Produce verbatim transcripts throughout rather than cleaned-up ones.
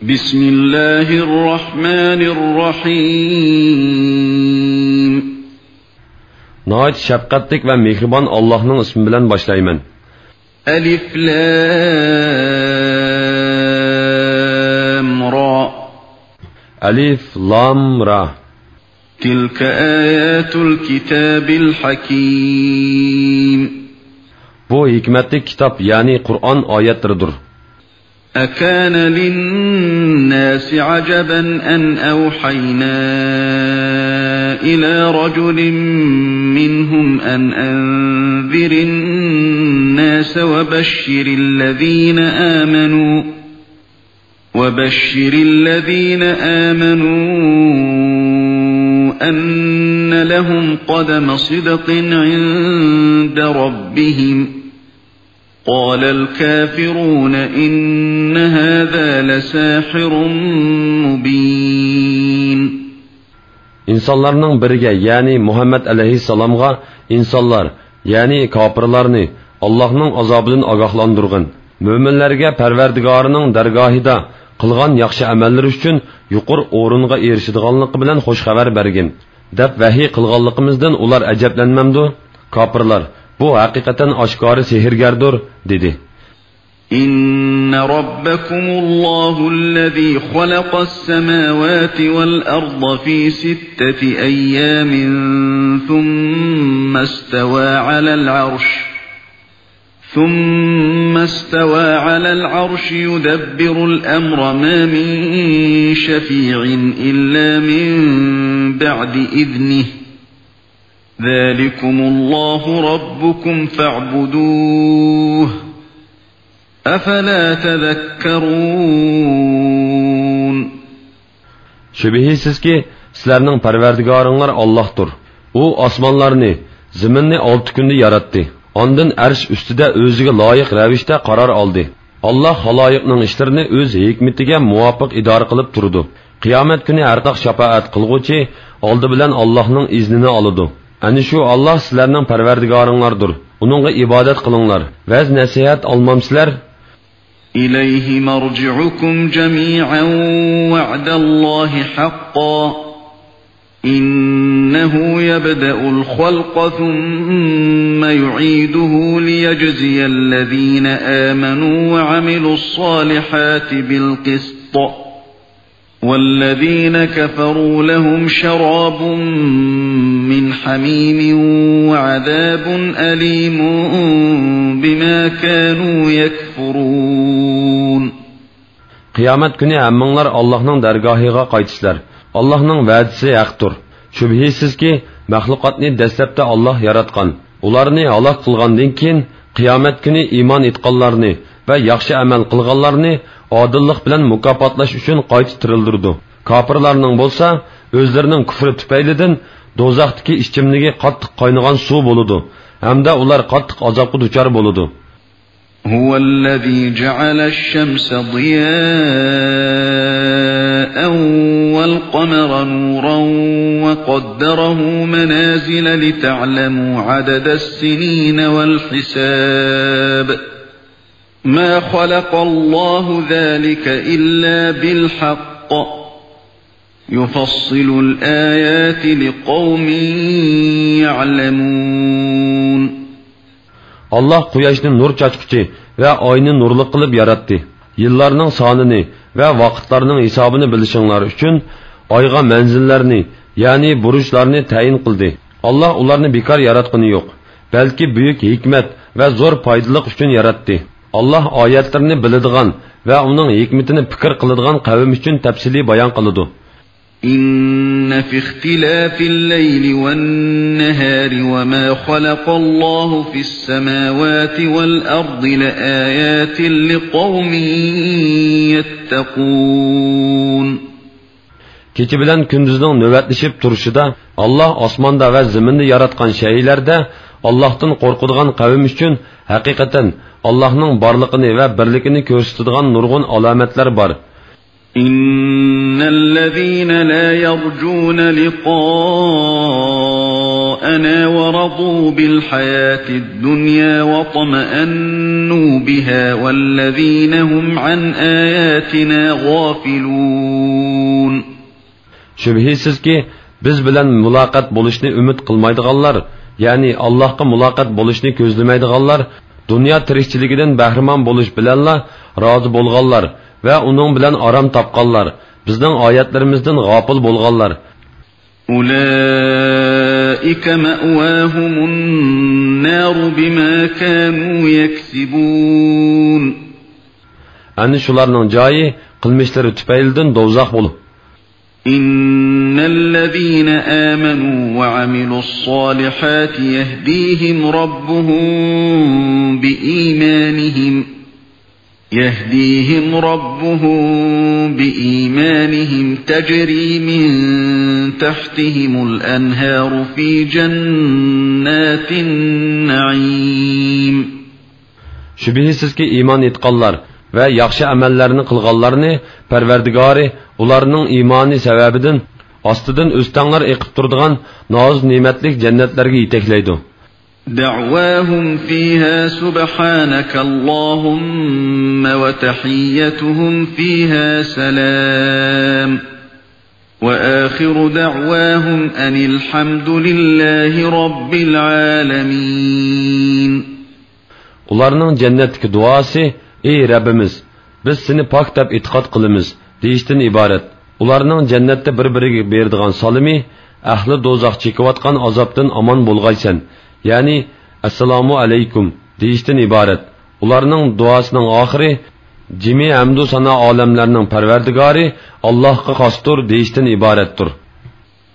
بسم الله الرحمن الرحيم. ناھايىتى شەپقەتلىك ۋە مېھرىبان ئاللاھنىڭ ئىسمى بىلەن باشلايمەن. ألف لام را. ئەلىف، لام، را. تلك آيات الكتاب الحكيم. بۇ ھېكمەتلىك كىتاب، يەنى قۇرئان ئايەتلىرىدۇر. أكان للناس عجبا أن أوحينا إلى رجل منهم أن أنذر الناس وبشر الذين آمنوا وبشر الذين آمنوا أن لهم قدم صدق عند ربهم. قال الكافرون إن هذا لساحر مبين. ئىنسانلارنىڭ بىرىگە، يەنى مۇھەممەد ئەلەيھىسسالامغا ئىنسانلار، يەنى كاپىرلارنى ئاللاھنىڭ ئازابىدىن ئاگاھلاندۇرغىن، مۆمىنلەرگە پەرۋەردىگارىنىڭ دەرگاھىدا قىلغان ياخشى ئەمەللىرى ئۈچۈن يۇقىرى ئورۇنغا ئېرىشىدىغانلىقى بىلەن خۇش خەۋەر بەرگىن، دەپ ۋەھىي قىلغانلىقىمىزدىن ئۇلار ئەجەبلەنمەمدۇ؟ كاپىرلار، بۇ ھەقىقەتەن ئاشكارا سېھىرگەردۇر، دېدى. إن ربكم الله الذي خلق السماوات والأرض في ستة أيام ثم استوى على العرش، ثم استوى على العرش يدبر الأمر ما من شفيع إلا من بعد إذنه، ذلكم الله ربكم فاعبدوه، أفلا تذكرون. شۈبھىسىزكى، سىلەرنىڭ پەرۋەردىگارىڭلار ئاللاھتۇر. ئۇ ئاسمانلارنى، زېمىننى ئالتە كۈندە ياراتتى. ئاندىن ئەرش ئۈستىدە ئۆزىگە لايىق رەۋىشتە قارار ئالدى. ئاللاھ خالايىقنىڭ ئىشلىرىنى ئۆز ھېكمىتىگە مۇۋاپىق ئىدارە قىلىپ تۇرىدۇ. قىيامەت كۈنى ھەرقاق شاپائەت قىلغۇچى ئالدى بىلەن ئاللاھنىڭ ئىزنىنى ئالىدۇ. ئەنە شۇ ئاللاھ سىلەرنىڭ پەرۋەردىگارىڭلاردۇر. ئۇنىڭغا ئىبادەت قىلىڭلار. ۋەز-نەسىھەت ئالمامسىلەر؟ إليه مرجعكم جميعا وعد الله حقا إنه يبدأ الخلق ثم يعيده ليجزي الذين آمنوا وعملوا الصالحات بالقسط والذين كفروا لهم شراب من حميم وعذاب أليم بما كانوا يكفرون. قىيامەت كۈنى ھەممىڭلار ئاللاھنىڭ دەرگاھىغا قايتىسىلەر. ئاللاھنىڭ ۋەدىسى ھەقتۇر. شۈبھىسىزكى، مەخلۇقاتنى دەسلەپتە ئاللاھ ياراتقان. ئۇلارنى ھالاك قىلغاندىن كېيىن، قىيامەت كۈنى ئىمان ئېيتقانلارنى ۋە ياخشى ئەمەل قىلغانلارنى ئادىللىق بىلەن مۇكاپاتلاش ئۈچۈن قايتا تىرىلدۈرىدۇ. كاپىرلارنىڭ بولسا ئۆزلىرىنىڭ كۇفرى تۈپەيلىدىن دوزاختىكى ئىچىملىكى قاتتىق قاينىغان سۇ بولىدۇ ھەمدە ئۇلار قاتتىق ئازابقا دۇچار بولىدۇ. هو الذي جعل الشمس ضياء والقمر نورا وقدره منازل لتعلموا عدد السنين والحساب. ما خلق الله ذلك إلا بالحق يفصل الآيات لقوم يعلمون. ئاللاھ قۇياشنى نۇر چاچقۇچى ۋە ئاينى نۇرلۇق قىلىپ ياراتتى. يىللارنىڭ سانىنى ۋە ۋاقىتلارنىڭ ھېسابىنى بىلىشىڭلار ئۈچۈن ئايغا مەنزىللەرنى، يەنى بۇرۇچلارنى تەيىن قىلدى. ئاللاھ ئۇلارنى بىكار ياراتقىنى يوق، بەلكى بۈيۈك ھېكمەت ۋە زور پايدىلىق ئۈچۈن ياراتتى. ئاللاھ ئايەتلىرىنى بىلىدىغان ۋە ئۇنىڭ ھېكمىتىنى پىكىر قىلىدىغان قەۋم ئۈچۈن تەپسىلىي بايان قىلىدۇ. إن في اختلاف الليل والنهار وما خلق الله في السماوات والأرض لآيات لقوم يتقون. كېچە بىلەن كۈندۈزنىڭ نۆۋەتلىشىپ تۇرۇشىدا، ئاللاھ ئاسماندا ۋە زېمىندا ياراتقان شەيئىلەردە ئاللاھتىن قورقىدىغان قەۋم ئۈچۈن ھەقىقەتەن ئاللاھنىڭ بارلىقىنى ۋە بىرلىكىنى كۆرسىتىدىغان نۇرغۇن ئالامەتلەر بار. إن الذين لا يرجون لقاءنا أنا ورضوا بالحياة الدنيا واطمأنوا بها والذين هم عن آياتنا غافلون. شۈبھىسىزكى، بىز بىلەن مۇلاقات بولۇشنى ئۈمىد قىلمايدىغانلار، يەنى ئاللاھقا مۇلاقات بولۇشنى كۆزلىمەيدىغانلار، دۇنيا تىرىكچىلىكىدىن بەھرىمەن بولۇش بىلەنلا رازى بولغانلار ۋە ئۇنىڭ بىلەن ئارام تاپقانلار، بىزنىڭ ئايەتلىرىمىزدىن غاپىل بولغانلار. أولئك مأواهم النار بما كانوا يكسبون. ئەنە شۇلارنىڭ جايى قىلمىشلىرى تۈپەيلىدىن دوزاخ بولۇپ. إن الذين آمنوا وعملوا الصالحات يهديهم ربهم بإيمانهم يهديهم ربهم بإيمانهم تجري من تحتهم الأنهار في جنات النعيم. شۈبھىسىزكى، ئىمان ئېيتقانلار ۋە ياخشى ئەمەللەرنى قىلغانلارنى پەرۋەردىگارى ئۇلارنىڭ ئىمانى سەۋەبىدىن ئاستىدىن ئۆستەڭلەر ئېقىپ تۇرىدىغان نازۇ نېمەتلىك جەننەتلەرگە يېتەكلەيدۇ. دعواهم فيها سبحانك اللهم وتحيتهم فيها سلام. وآخر دعواهم أن الحمد لله رب العالمين. ئۇلارنىڭ جەننەتتىكى دۇئاسى، ئى رەببىمىز، بىز سېنى پاك دەپ ئېتىقاد قىلىمىز، دېيىشتىن ئىبارەت. ئۇلارنىڭ جەننەتتە بىر-بىرىگە بېرىدىغان سالىمى، ئەھلى دوزاخ چېكىۋاتقان ئازابتىن ئامان بولغايسەن، يەنى ئەسسالامۇ ئەلەيكۇم دېيىشتىن ئىبارەت. ئۇلارنىڭ دۇئاسىنىڭ ئاخىرى، جىمى ھەمدۇ سانا ئالەملەرنىڭ پەرۋەردىگارى ئاللاھقا خاستۇر دېيىشتىن ئىبارەتتۇر.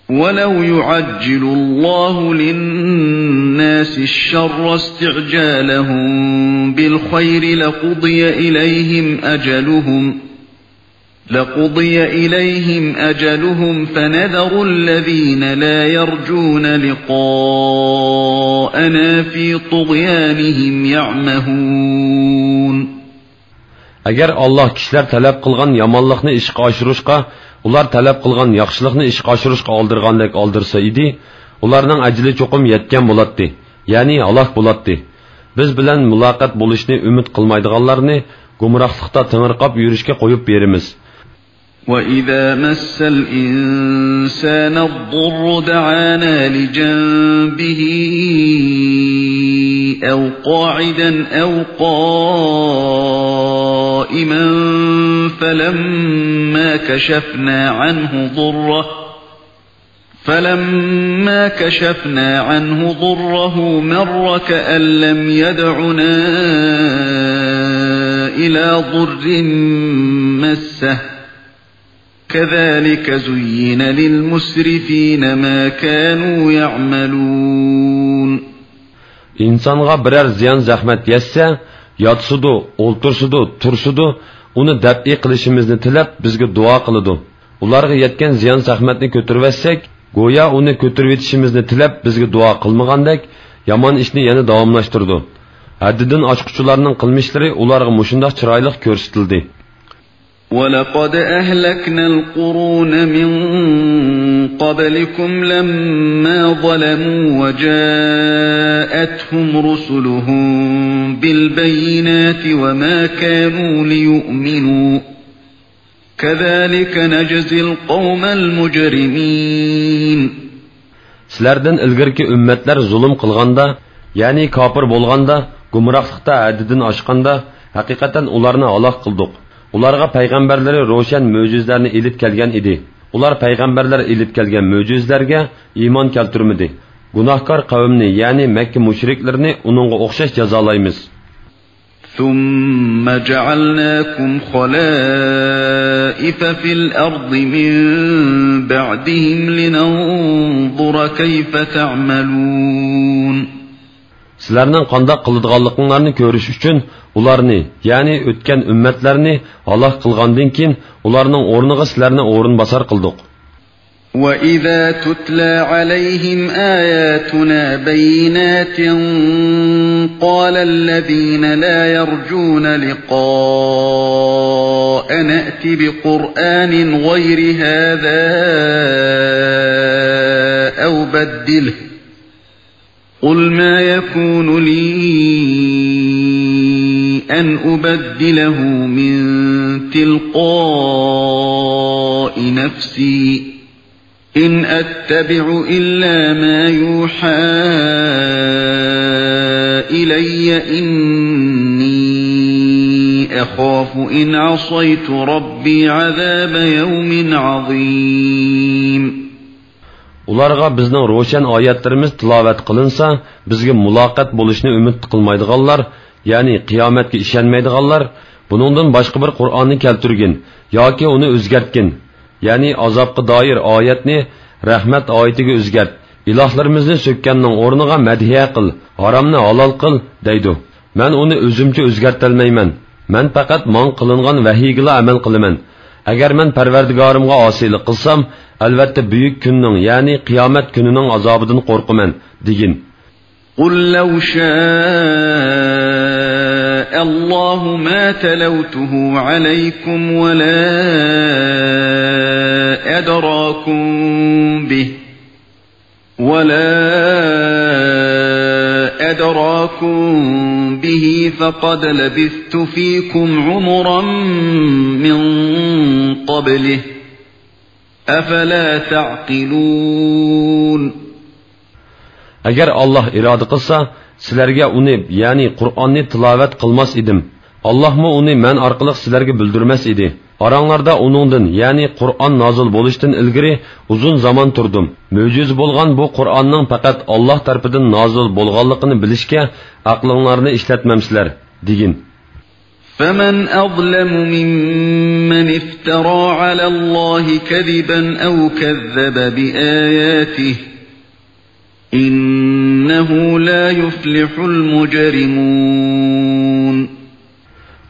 ولو يعجل الله للناس الشر استعجالهم بالخير لقضي إليهم أجلهم لقضي إليهم أجلهم فنذر الذين لا يرجون لقاءنا في طغيانهم يعمهون. ئەگەر ئاللاھ كىشىلەر تەلەپ قىلغان يامانلىقنى ئىشقا ئاشۇرۇشقا، ئۇلار تەلەپ قىلغان ياخشىلىقنى ئىشقا ئاشۇرۇشقا ئالدىرغاندەك ئالدىرسا ئىدى، ئۇلارنىڭ ئەجىلى چوقۇم يەتكەن بولاتتى، يەنى ھالاك بولاتتى. بىز بىلەن مۇلاقات بولۇشنى ئۈمىد قىلمايدىغانلارنى گۇمراھلىقتا تېڭىرقاپ يۈرۈشكە قويۇپ بېرىمىز. وإذا مس الإنسان الضر دعانا لجنبه أو قاعدا أو قائما فلما كشفنا عنه ضره فلما كشفنا عنه ضره مر كأن لم يدعنا إلى ضر مسه كذلك زين للمسرفين ما كانوا يعملون. ئىنسانغا بىرەر زىيان-زەخمەت يەتسە، ياتسىدۇ، ئولتۇرسىدۇ، تۇرسىدۇ، ئۇنى دەپئى قىلىشىمىزنى تىلەپ، بىزگە دۇئا قىلىدۇ. ئۇلارغا يەتكەن زىيان-زەخمەتنى كۆتۈرۈۋەتسەك، گويا ئۇنى كۆتۈرۈۋېتىشىمىزنى تىلەپ، بىزگە دۇئا قىلمىغاندەك، يامان ئىشنى يەنە داۋاملاشتۇرىدۇ. ھەددىدىن ئاشقۇچىلارنىڭ قىلمىشلىرى ئۇلارغا مۇشۇنداق چىرايلىق كۆرسىتىلدى. ولقد أهلكنا القرون من قبلكم لما ظلموا وجاءتهم رسلهم بالبينات وما كانوا ليؤمنوا كذلك نجزي القوم المجرمين. سىلەردىن ئىلگىرىكى ئۈممەتلەر زۇلۇم قىلغاندا، يەنى كاپىر بولغاندا، گۇمراھلىقتا ھەددىدىن ئاشقاندا، ھەقىقەتەن ئۇلارنى ھالاك قىلدۇق. ئۇلارغا پەيغەمبەرلىرى روشەن مۆجىزىلەرنى ئېلىپ كەلگەن ئىدى. ئۇلار پەيغەمبەرلەر ئېلىپ كەلگەن مۆجىزىلەرگە ئىمان كەلتۈرمىدى. گۇناھكار قەۋمنى، يەنى مەككە مۇشرىكلىرىنى ئۇنىڭغا ئوخشاش جازالايمىز. ثم جعلناكم خلائف في الأرض من بعدهم لننظر كيف تعملون. سىلەرنىڭ قانداق قىلىدىغانلىقىڭلارنى كۆرۈش ئۈچۈن ئۇلارنى، يەنى ئۆتكەن ئۈممەتلەرنى ھالاك قىلغاندىن كېيىن، ئۇلارنىڭ ئورنىغا سىلەرنى ئورۇنباسار قىلدۇق. وإذا تتلى عليهم آياتنا بينات قال الذين لا يرجون لقاءنا ائت بقرآن غير هذا أو بدله قل ما يكون لي أن أبدله من تلقاء نفسي إن أتبع إلا ما يوحى إلي إني أخاف إن عصيت ربي عذاب يوم عظيم. ئۇلارغا بىزنىڭ روشەن ئايەتلىرىمىز تىلاۋەت قىلىنسا، بىزگە مۇلاقات بولۇشنى ئۈمىد قىلمايدىغانلار، يەنى قىيامەتكە ئىشەنمەيدىغانلار، بۇنىڭدىن باشقا بىر قۇرئاننى كەلتۈرگىن ياكى ئۇنى ئۆزگەرتكىن، يەنى ئازابقا دائىر ئايەتنى رەھمەت ئايىتىگە ئۆزگەرت، ئىلاھلىرىمىزنى سۆككەننىڭ ئورنىغا مەدھىيە قىل، ھارامنى ھالال قىل، دەيدۇ. مەن ئۇنى ئۆزۈمچە ئۆزگەرتەلمەيمەن. مەن پەقەت ماڭا قىلىنغان ۋەھىيگىلا ئەمەل قىلىمەن. ئەگەر مەن پەرۋەردىگارىمغا ئاسىيلىق قىلسام، ئەلۋەتتە بۈيۈك كۈننىڭ، يەنى قىيامەت كۈنىنىڭ ئازابىدىن قورقىمەن، دېگىن. قل لو شاء الله ما تلوته عليكم ولا أدراكم به ولا أدراكم به فقد لبثت فيكم عمرا من قبله أفلا تعقلون. ئەگەر ئاللاھ ئىرادە قىلسا، سىلەرگە ئۇنى، يەنى قۇرئاننى تىلاۋەت قىلماس ئىدىم. ئاللاھمۇ ئۇنى مەن ئارقىلىق سىلەرگە بىلدۈرمەس ئىدى. ئاراڭلاردا ئۇنىڭدىن، يەنى قۇرئان نازىل بولۇشتىن ئىلگىرى ئۇزۇن زامان تۇردۇم. مۆجىزە بولغان بۇ قۇرئاننىڭ پەقەت ئاللاھ تەرىپىدىن نازىل بولغانلىقىنى بىلىشكە ئەقلىڭلارنى ئىشلەتمەمسىلەر، دېگىن. فمن أظلم ممن افترى على الله كذبا أو كذب بآياته إنه لا يفلح المجرمون.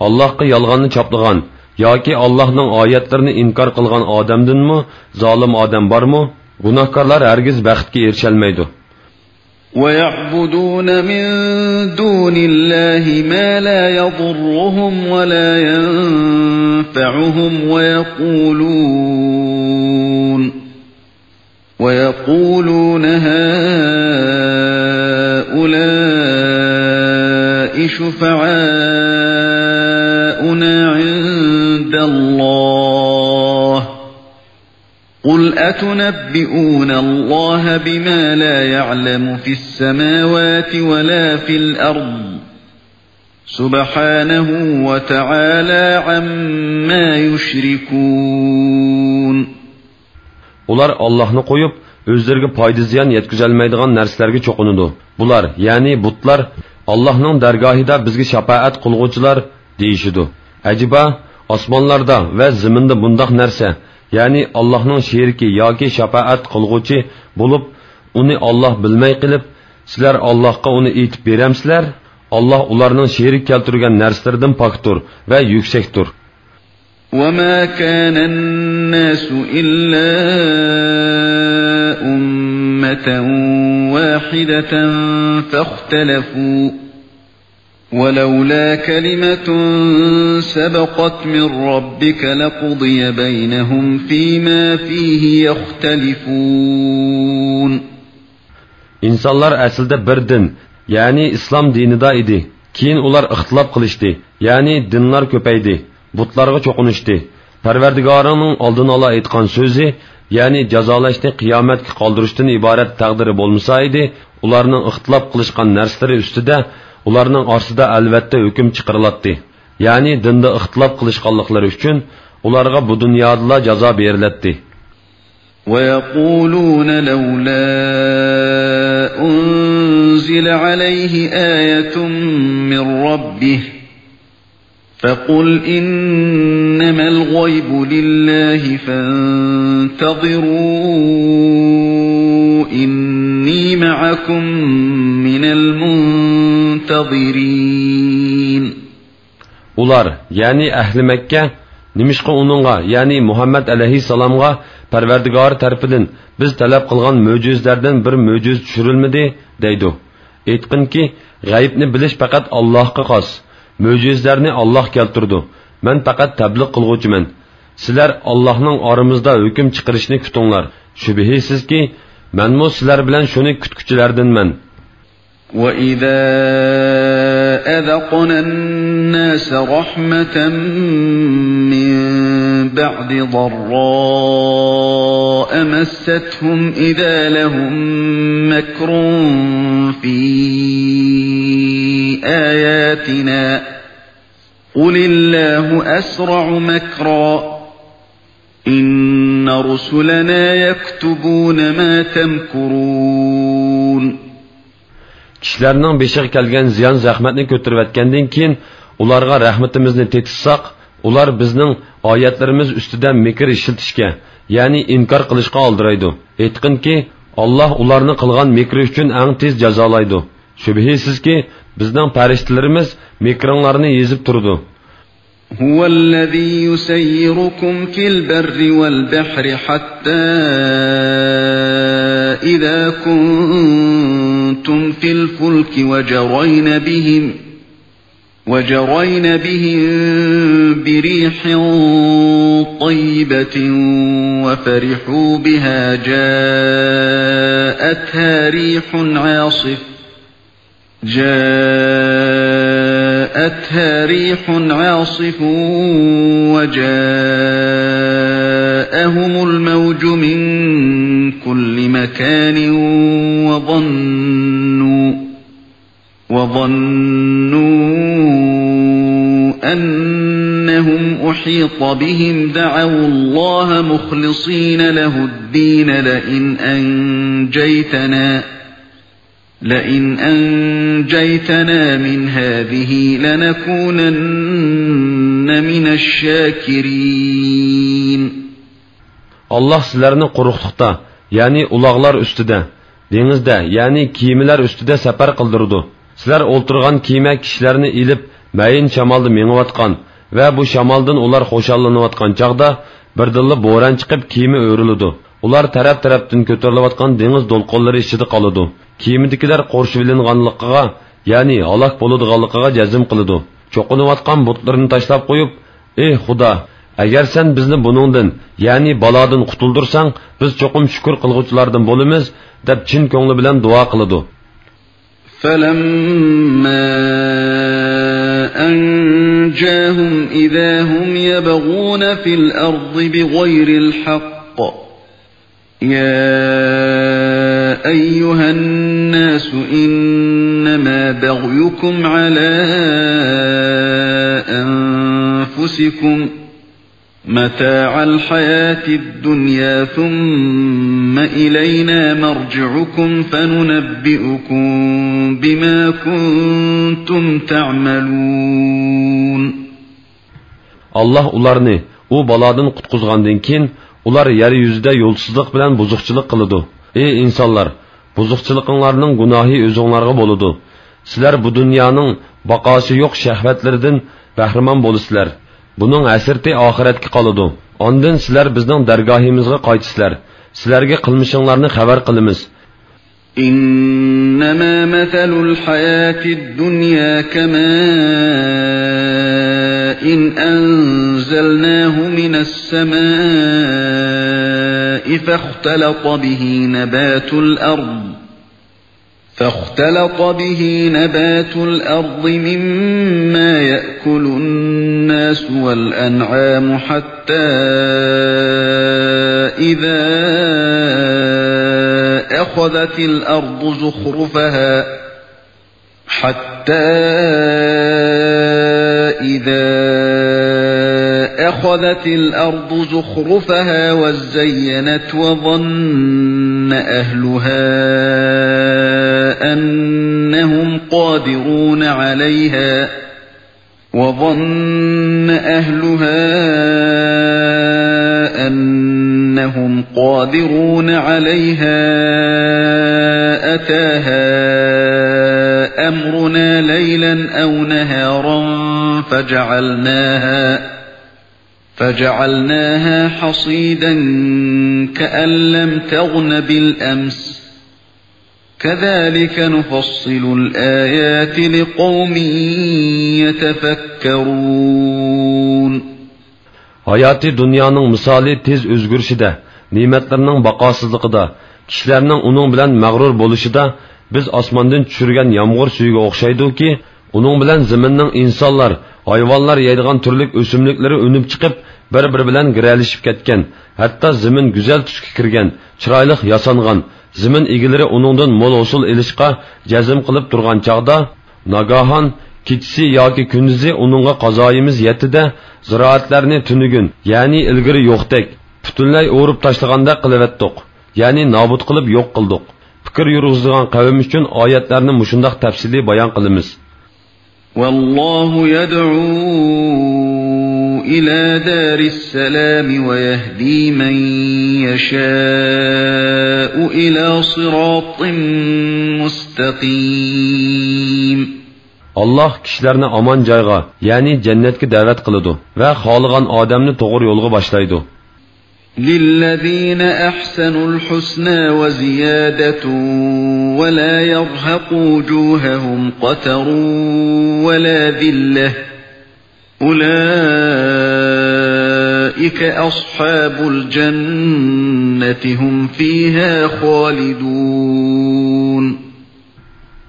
ئاللاھقا يالغاننى چاپلىغان ياكى ئاللاھنىڭ ئايەتلىرىنى ئىنكار قىلغان ئادەمدىنمۇ زالىم ئادەم بارمۇ؟ گۇناھكارلار ھەرگىز بەختكە ئېرىشەلمەيدۇ. ويعبدون من دون الله ما لا يضرهم ولا ينفعهم ويقولون ويقولون هؤلاء شفعاؤنا عند الله قل أتنبئون الله بما لا يعلم في السماوات ولا في الأرض سبحانه وتعالى عما يشركون. ئۇلار ئاللاھنى قويۇپ، ئۆزلىرىگە پايدا-زىيان يەتكۈزەلمەيدىغان نەرسىلەرگە چوقۇنىدۇ. بۇلار، يەنى بۇتلار، ئاللاھنىڭ دەرگاھىدا بىزگە شاپائەت قىلغۇچىلار، دېيىشىدۇ. ئەجەبا، ئاسمانلاردا ۋە زېمىندا بۇنداق نەرسە، يەنى ئاللاھنىڭ شېرىكى ياكى شاپائەت قىلغۇچى بولۇپ، ئۇنى ئاللاھ بىلمەي قېلىپ، سىلەر ئاللاھقا ئۇنى ئېيتىپ بېرەمسىلەر؟ ئاللاھ ئۇلارنىڭ شېرىك كەلتۈرگەن نەرسىلىرىدىن پاكتۇر ۋە يۈكسەكتۇر. وما كان الناس إلا أمة واحدة فاختلفوا ولولا كلمة سبقت من ربك لقضي بينهم فيما فيه يختلفون. ئىنسانلار ئەسلىدە بىر دىن، يەنى ئىسلام دىنىدا ئىدى. كېيىن ئۇلار ئىختىلاپ قىلىشتى، يەنى دىنلار كۆپەيدى، بۇتلارغا چوقۇنۇشتى. پەرۋەردىگارىڭنىڭ ئالدىنئالا ئېيتقان سۆزى، يەنى جازالاشنى قىيامەتكە قالدۇرۇشتىن ئىبارەت تەقدىرى بولمىسا ئىدى، ئۇلارنىڭ ئىختىلاپ قىلىشقان نەرسىلىرى ئۈستىدە ئۇلارنىڭ ئارىسىدا ئەلۋەتتە ھۆكۈم چىقىرىلاتتى. يەنى دىندا ئىختىلاپ قىلىشقانلىقلىرى ئۈچۈن ئۇلارغا بۇ دۇنيادىلا جازا بېرىلەتتى. ويقولون لولا أنزل عليه آية من ربه فقل إنما الغيب لله فانتظروا إني معكم من المنتظرين. ئۇلار، يەنى ئەھلى مەككە، نېمىشقا ئۇنىڭغا، يەنى مۇھەممەد ئەلەيھىسسالامغا پەرۋەردىگارى تەرىپىدىن بىز تەلەپ قىلغان مۆجىزىلەردىن بىر مۆجىزە چۈشۈرۈلمىدى؟ دەيدۇ. ئېيتقىنكى، غەيىبنى بىلىش پەقەت ئاللاھقا خاس. مۆجىزىلەرنى ئاللاھ كەلتۈرىدۇ. مەن پەقەت تەبلىغ قىلغۇچىمەن. سىلەر ئاللاھنىڭ ئارىمىزدا ھۆكۈم چىقىرىشىنى كۈتۈڭلار. شۈبھىسىزكى، مەنمۇ سىلەر بىلەن شۇنى كۈتكۈچىلەردىنمەن. وَإِذَا أَذَقْنَا النَّاسَ رَحْمَةً مِّن بَعْدِ ضَرَّاءَ مَسَّتْهُمْ إِذَا لَهُمْ مَكْرٌ فِي آيَاتِنَا قُلِ اللَّهُ أَسْرَعُ مَكْرًا إِنَّ رُسُلَنَا يَكْتُبُونَ مَا تَمْكُرُونَ. كىشىلەرنىڭ بېشىغا كەلگەن زىيان-زەخمەتنى كۆتۈرۈۋەتكەندىن كېيىن، ئۇلارغا رەھمىتىمىزنى تېتىتساق، ئۇلار بىزنىڭ ئايەتلىرىمىز ئۈستىدە مىكىر ئىشلىتىشكە، يەنى ئىنكار قىلىشقا ئالدىرايدۇ. ئېيتقىنكى، ئاللاھ ئۇلارنى قىلغان مىكرى ئۈچۈن ئەڭ تېز جازالايدۇ. شۈبھىسىزكى، بىزنىڭ پەرىشتىلىرىمىز مىكرىڭلارنى يېزىپ تۇرىدۇ. هُوَ الَّذِي يُسَيِّرُكُمْ فِي الْبَرِّ وَالْبَحْرِ حَتَّى إِذَا كُنتُمْ فِي الْفُلْكِ وَجَرَيْنَ بِهِمْ وَجَرَيْنَ بِهِم بِرِيحٍ طَيِّبَةٍ وَفَرِحُوا بِهَا جَاءَتْهَا رِيحٌ عَاصِفٌ جَاءَتْهَا رِيحٌ عَاصِفٌ وَجَاءَهُمُ الْمَوْجُ مِن كُلِّ مَكَانٍ وَظَنُّوا وَظَنُّوا أَنَّهُمْ أُحِيطَ بِهِمْ دَعَوُا اللَّهَ مُخْلِصِينَ لَهُ الدِّينَ لَئِنْ أَنْجَيْتَنَا لَئِنْ أَنْجَيْتَنَا مِنْ هَذِهِ لَنَكُونَنَّ مِنَ الشَّاكِرِينَ. ئاللاھ سىلەرنى قۇرۇقلۇقتا، يەنى ئۇلاغلار ئۈستىدە، دېڭىزدە، يەنى كېمىلەر ئۈستىدە سەپەر قىلدۇرىدۇ. سىلەر ئولتۇرغان كېمە كىشىلەرنى ئېلىپ، مەيىن شامالدا مېڭىۋاتقان ۋە بۇ شامالدىن ئۇلار خۇشاللىنىۋاتقان چاغدا، بىردىنلا بوران چىقىپ، كېمە ئۆرۈلىدۇ. ئۇلار تەرەپ-تەرەپتىن كۆتۈرۈلۈۋاتقان دېڭىز دولقۇنلىرى ئىچىدە قالىدۇ. كېمىدىكىلەر قورشىۋېلىنغانلىقىغا، يەنى ھالاك بولىدىغانلىقىغا جەزم قىلىدۇ. چوقۇنۇۋاتقان بۇتلىرىنى تاشلاپ قويۇپ، ئېھ خۇدا، ئەگەر سەن بىزنى بۇنىڭدىن، يەنى بالادىن قۇتۇلدۇرساڭ، بىز چوقۇم شۈكۈر قىلغۇچىلاردىن بولىمىز، دەپ چىن كۆڭلى بىلەن دۇئا قىلىدۇ. فَلَمَّا أَنْجَاهُمْ إِذَا هُمْ يَبْغُونَ فِي الْأَرْضِ بِغَيْرِ الْحَقِّ يَا أَيُّهَا النَّاسُ إِنَّمَا بَغْيُكُمْ عَلَىٰ أَنفُسِكُمْ مَتَاعَ الْحَيَاةِ الدُّنْيَا ثُمَّ إِلَيْنَا مَرْجِعُكُمْ فَنُنَبِّئُكُم بِمَا كُنتُمْ تَعْمَلُونَ. ئاللاھ ئۇلارنى ئۇ بالادىن قۇتقۇزغاندىن كېيىن، ئۇلار يەر يۈزىدە يولسىزلىق بىلەن بۇزۇقچىلىق قىلىدۇ. ئەي ئىنسانلار، بۇزۇقچىلىقىڭلارنىڭ گۇناھى ئۆزۈڭلارغا بولىدۇ. سىلەر بۇ دۇنيانىڭ باقاسى يوق شەھۋەتلىرىدىن بەھرىمەن بولىسىلەر. بۇنىڭ ھەسرىتى ئاخىرەتكە قالىدۇ. ئاندىن سىلەر بىزنىڭ دەرگاھىمىزغا قايتىسىلەر. سىلەرگە قىلمىشىڭلارنى خەۋەر قىلىمىز. إِنَّمَا مَثَلُ الْحَيَاةِ الدُّنْيَا كَمَاءٍ أَنْزَلْنَاهُ مِنَ السَّمَاءِ فَاخْتَلَطَ بِهِ نَبَاتُ الْأَرْضِ فَاخْتَلَطَ بِهِ نَبَاتُ الْأَرْضِ مِمَّا يَأْكُلُ النَّاسُ وَالْأَنْعَامُ حَتَّى إِذَا أَخَذَتِ الْأَرْضُ زُخْرُفَهَا حَتَّى إِذَا أَخَذَتِ الْأَرْضُ زُخْرُفَهَا وَازَّيَّنَتْ وَظَنَّ أَهْلُهَا أَنَّهُمْ قَادِرُونَ عَلَيْهَا وَظَنَّ أَهْلُهَا أَنَّهُمْ قَادِرُونَ عَلَيْهَا أَتَاهَا أَمْرُنَا لَيْلًا أَوْ نَهَارًا فَجَعَلْنَاهَا فَجَعَلْنَاهَا حَصِيدًا كَأَنْ لَمْ تَغْنَ بِالْأَمْسِ كَذَلِكَ نُفَصِّلُ الْآيَاتِ لِقَوْمٍ يَتَفَكَّرُونَ. ھاياتىي دۇنيانىڭ مىسالى تېز ئۆزگىرىشىدە، نېمەتلىرىنىڭ باقاسىزلىقىدا، كىشىلەرنىڭ ئۇنىڭ بىلەن مەغرۇر بولۇشىدا بىز ئاسماندىن چۈشۈرگەن يامغۇر سۈيىگە ئوخشايدۇكى، ئۇنىڭ بىلەن زېمىننىڭ ئىنسانلار، ھايۋانلار يەيدىغان تۈرلۈك ئۆسۈملۈكلىرى ئۈنۈپ چىقىپ، بىر-بىرى بىلەن گىرەلىشىپ كەتكەن، ھەتتا زېمىن گۈزەل تۈسكە كىرگەن، چىرايلىق ياسانغان، زېمىن ئىگىلىرى ئۇنىڭدىن مول ھوسۇل ئېلىشقا جەزم قىلىپ تۇرغان چاغدا، ناگاھان كېچىسى ياكى كۈندۈزى ئۇنىڭغا قازايىمىز يەتتى-دە، زىرائەتلەرنى تۈنۈگۈن، يەنى ئىلگىرى يوقتەك، پۈتۈنلەي ئورۇپ تاشلىغاندەك قىلىۋەتتۇق، يەنى نابۇت قىلىپ يوق قىلدۇق. پىكىر يۈرگۈزىدىغان قەۋم ئۈچۈن ئايەتلەرنى مۇشۇنداق تەپسىلىي بايان قىلىمىز. والله يدعو إلى دار السلام ويهدي من يشاء إلى صراط مستقيم. ئاللاھ كىشىلەرنى ئامان جايغا، يەنى جەننەتكە دەۋەت قىلىدۇ ۋە خالىغان ئادەمنى توغرا يولغا باشلايدۇ. للذين أحسنوا الحسنى وزيادة ولا يرهق وجوههم قتر ولا ذلة أولئك أصحاب الجنة هم فيها خالدون.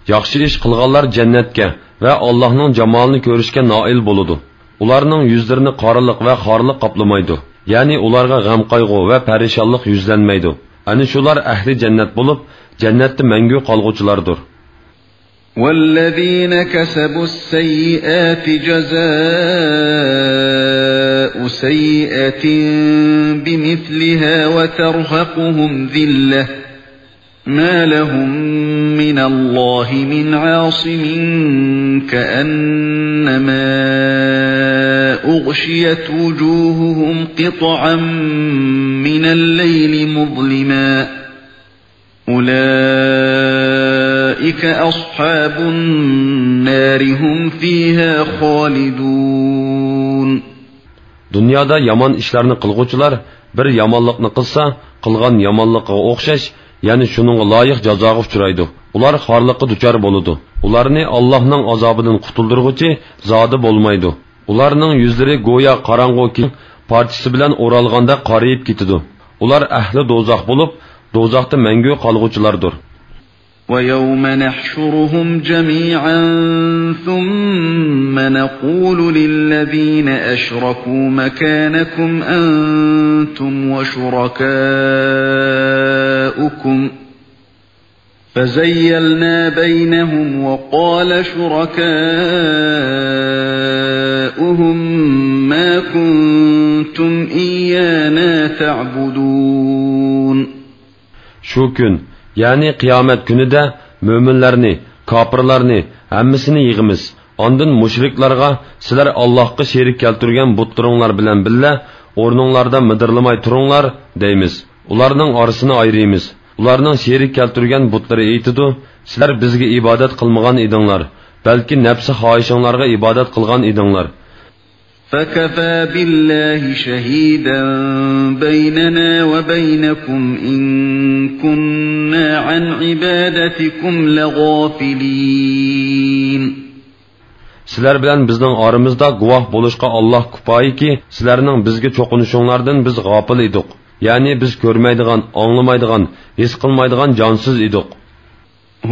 ياخشى ئىش قىلغانلار جەننەتكە ۋە ئاللاھنىڭ جامالىنى كۆرۈشكە نائىل بولىدۇ. ئۇلارنىڭ يۈزلىرىنى قارىلىق ۋە خارلىق قاپلىمايدۇ. يەنى ئۇلارغا غەم-قايغۇ ۋە پەرىشانلىق يۈزلەنمەيدۇ. ئەنە شۇلار ئەھلى جەننەت بولۇپ، جەننەتتە مەڭگۈ قالغۇچىلاردۇر. والذين كسبوا السيئات جزاء سيئة بمثلها وترهقهم ذلة ما لهم من الله من عاصم كأنما أغشيت وجوههم قطعا من الليل مظلما أولئك أصحاب النار هم فيها خالدون. دۇنيادا يامان ئىشلارنى قىلغۇچىلار بىر يامانلىقنى قىلسا، قىلغان يامانلىقىغا ئوخشاش، يەنى شۇنىڭغا لايىق جازاغا ئۇچرايدۇ. ئۇلار خارلىققا دۇچار بولىدۇ. ئۇلارنى ئاللاھنىڭ ئازابىدىن قۇتۇلدۇرغۇچى زادى بولمايدۇ. ئۇلارنىڭ يۈزلىرى گويا قاراڭغۇ كىيىم پارچىسى بىلەن ئورالغاندەك قارىيىپ كېتىدۇ. ئۇلار ئەھلى دوزاخ بولۇپ، دوزاختا مەڭگۈ قالغۇچىلاردۇر. ويوم نحشرهم جميعا ثم نقول للذين أشركوا مكانكم أنتم وشركاؤكم فزيلنا بينهم وقال شركاؤهم ما كنتم إيانا تعبدون شۇ كۈن، يەنى قىيامەت كۈنىدە مۆمىنلەرنى، كاپىرلارنى، ھەممىسىنى يىغىمىز. ئاندىن مۇشرىكلارغا، سىلەر ئاللاھقا شېرىك كەلتۈرگەن بۇتلىرىڭلار بىلەن بىللە ئورنۇڭلاردا مىدىرلىماي تۇرۇڭلار، دەيمىز. ئۇلارنىڭ ئارىسىنى ئايرىيمىز. ئۇلارنىڭ شېرىك كەلتۈرگەن بۇتلىرى ئېيتىدۇ، سىلەر بىزگە ئىبادەت قىلمىغان ئىدىڭلار، بەلكى نەپسى خاھىشىڭلارغا ئىبادەت قىلغان ئىدىڭلار. فكفى بالله شهيدا بيننا وبينكم إن كنا عن عبادتكم لغافلين. سىلەر بىلەن بىزنىڭ ئارىمىزدا گۇۋاھ بولۇشقا ئاللاھ كۇپايىكى، سىلەرنىڭ بىزگە چوقۇنۇشۇڭلاردىن بىز غاپىل ئىدۇق. يەنى بىز كۆرمەيدىغان، ئاڭلىمايدىغان، ھېس قىلمايدىغان جانسىز ئىدۇق.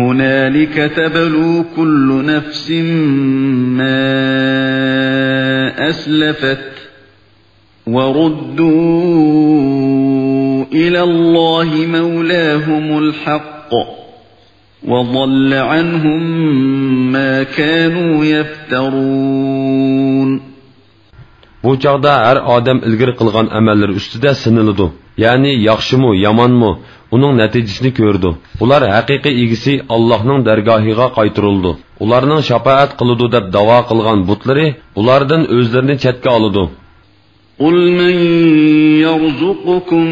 هنالك تبلو كل نفس ما أسلفت وردوا إلى الله مولاهم الحق وضل عنهم ما كانوا يفترون. بۇ چاغدا ھەر ئادەم ئىلگىرى قىلغان ئەمەللىرى ئۈستىدە سىنىلىدۇ. يەنى ياخشىمۇ، يامانمۇ، ئۇنىڭ نەتىجىسىنى كۆرىدۇ. ئۇلار ھەقىقىي ئىگىسى ئاللاھنىڭ دەرگاھىغا قايتۇرۇلىدۇ. ئۇلارنىڭ شاپائەت قىلىدۇ دەپ داۋا قىلغان بۇتلىرى ئۇلاردىن ئۆزلىرىنى چەتكە ئالىدۇ. قل من يرزقكم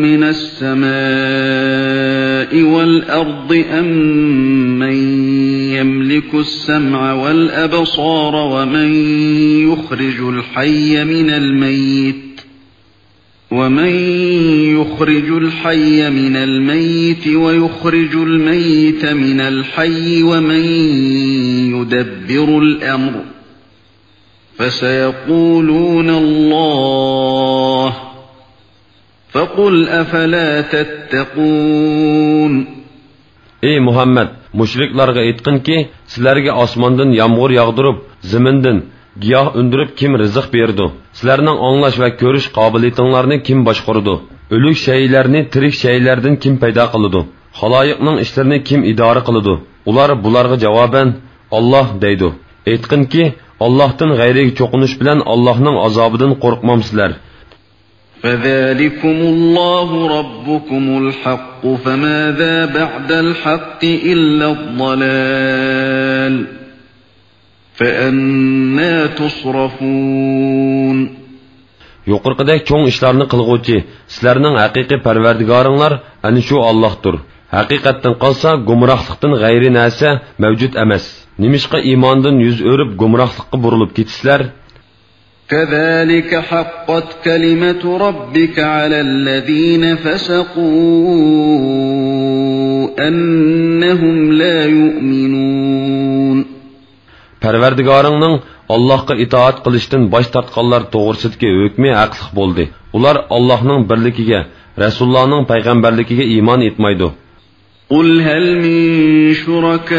من السماء والأرض أم من يملك السمع والأبصار ومن يخرج الحي من الميت ومن يخرج الحي من الميت ويخرج الميت من الحي ومن يدبر الأمر فسيقولون الله فقل أفلا تتقون ئەي مۇھەممەد، مۇشرىكلارغا ئېيتقىنكى، سىلەرگە ئاسماندىن يامغۇر ياغدۇرۇپ، زېمىندىن گىياھ ئۈندۈرۈپ كىم رىزىق بېرىدۇ؟ سىلەرنىڭ ئاڭلاش ۋە كۆرۈش قابىلىيىتىڭلارنى كىم باشقۇرىدۇ؟ ئۆلۈك شەيئىلەرنى تىرىك شەيئىلەردىن كىم پەيدا قىلىدۇ؟ خالايىقنىڭ ئىشلىرىنى كىم ئىدارە قىلىدۇ؟ ئۇلار بۇلارغا جاۋابەن، «ئاللاھ» دەيدۇ. ئېيتقىنكى، ئاللاھتىن غەيرىگە چوقۇنۇش بىلەن ئاللاھنىڭ ئازابىدىن قورقمامسىلەر؟ فذلكم الله ربكم الحق فماذا بعد الحق إلا الضلال فأنى تصرفون. يۇقىرىقىدەك چوڭ ئىشلارنى قىلغۇچى سىلەرنىڭ ھەقىقىي پەرۋەردىگارىڭلار ئەنە شۇ ئاللاھتۇر. ھەقىقەتتىن قالسا، گۇمراھلىقتىن غەيرىي نەرسە مەۋجۇت ئەمەس. نېمىشقا ئىماندىن يۈز ئۆرۈپ گۇمراھلىققا بۇرۇلۇپ كېتىسىلەر؟ كذلك حقت كلمة ربك على الذين فسقوا أنهم لا يؤمنون. پەرۋەردىگارىڭنىڭ ئاللاھقا ئىتائەت قىلىشتىن باش تارتقانلار توغرىسىدىكى ھۆكمى ھەقلىق بولدى. ئۇلار ئاللاھنىڭ بىرلىكىگە، رەسۇللارنىڭ پەيغەمبەرلىكىگە ئىمان ئېيتمايدۇ. قل هل من شركائكم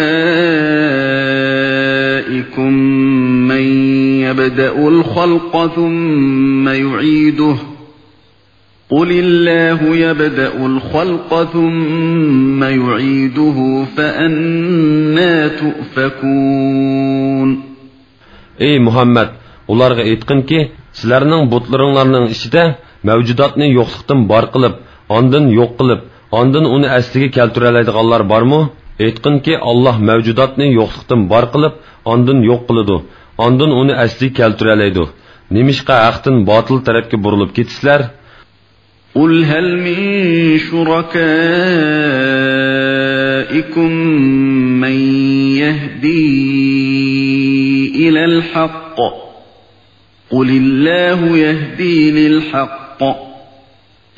من يبدأ الخلق ثم يعيده؟ قل الله يبدأ الخلق ثم يعيده فأنى تؤفكون. ئەي مۇھەممەد، ئۇلارغا ئېيتقىنكى، سىلەرنىڭ بۇتلىرىڭلارنىڭ ئىچىدە مەۋجۇداتنى يوقلۇقتىن بار قىلىپ، ئاندىن يوق قىلىپ، ئاندىن ئۇنى ئەسلىگە كەلتۈرەلەيدىغانلار بارمۇ؟ ئېيتقىنكى، ئاللاھ مەۋجۇداتنى يوقلۇقتىن بار قىلىپ، ئاندىن يوق قىلىدۇ، ئاندىن ئۇنى ئەسلىگە كەلتۈرەلەيدۇ. نېمىشقا ھەقتىن باتىل تەرەپكە بۇرۇلۇپ كېتىسىلەر؟ قل هل من شركائكم من يهدي إلى الحق؟ قل الله يهدي للحق،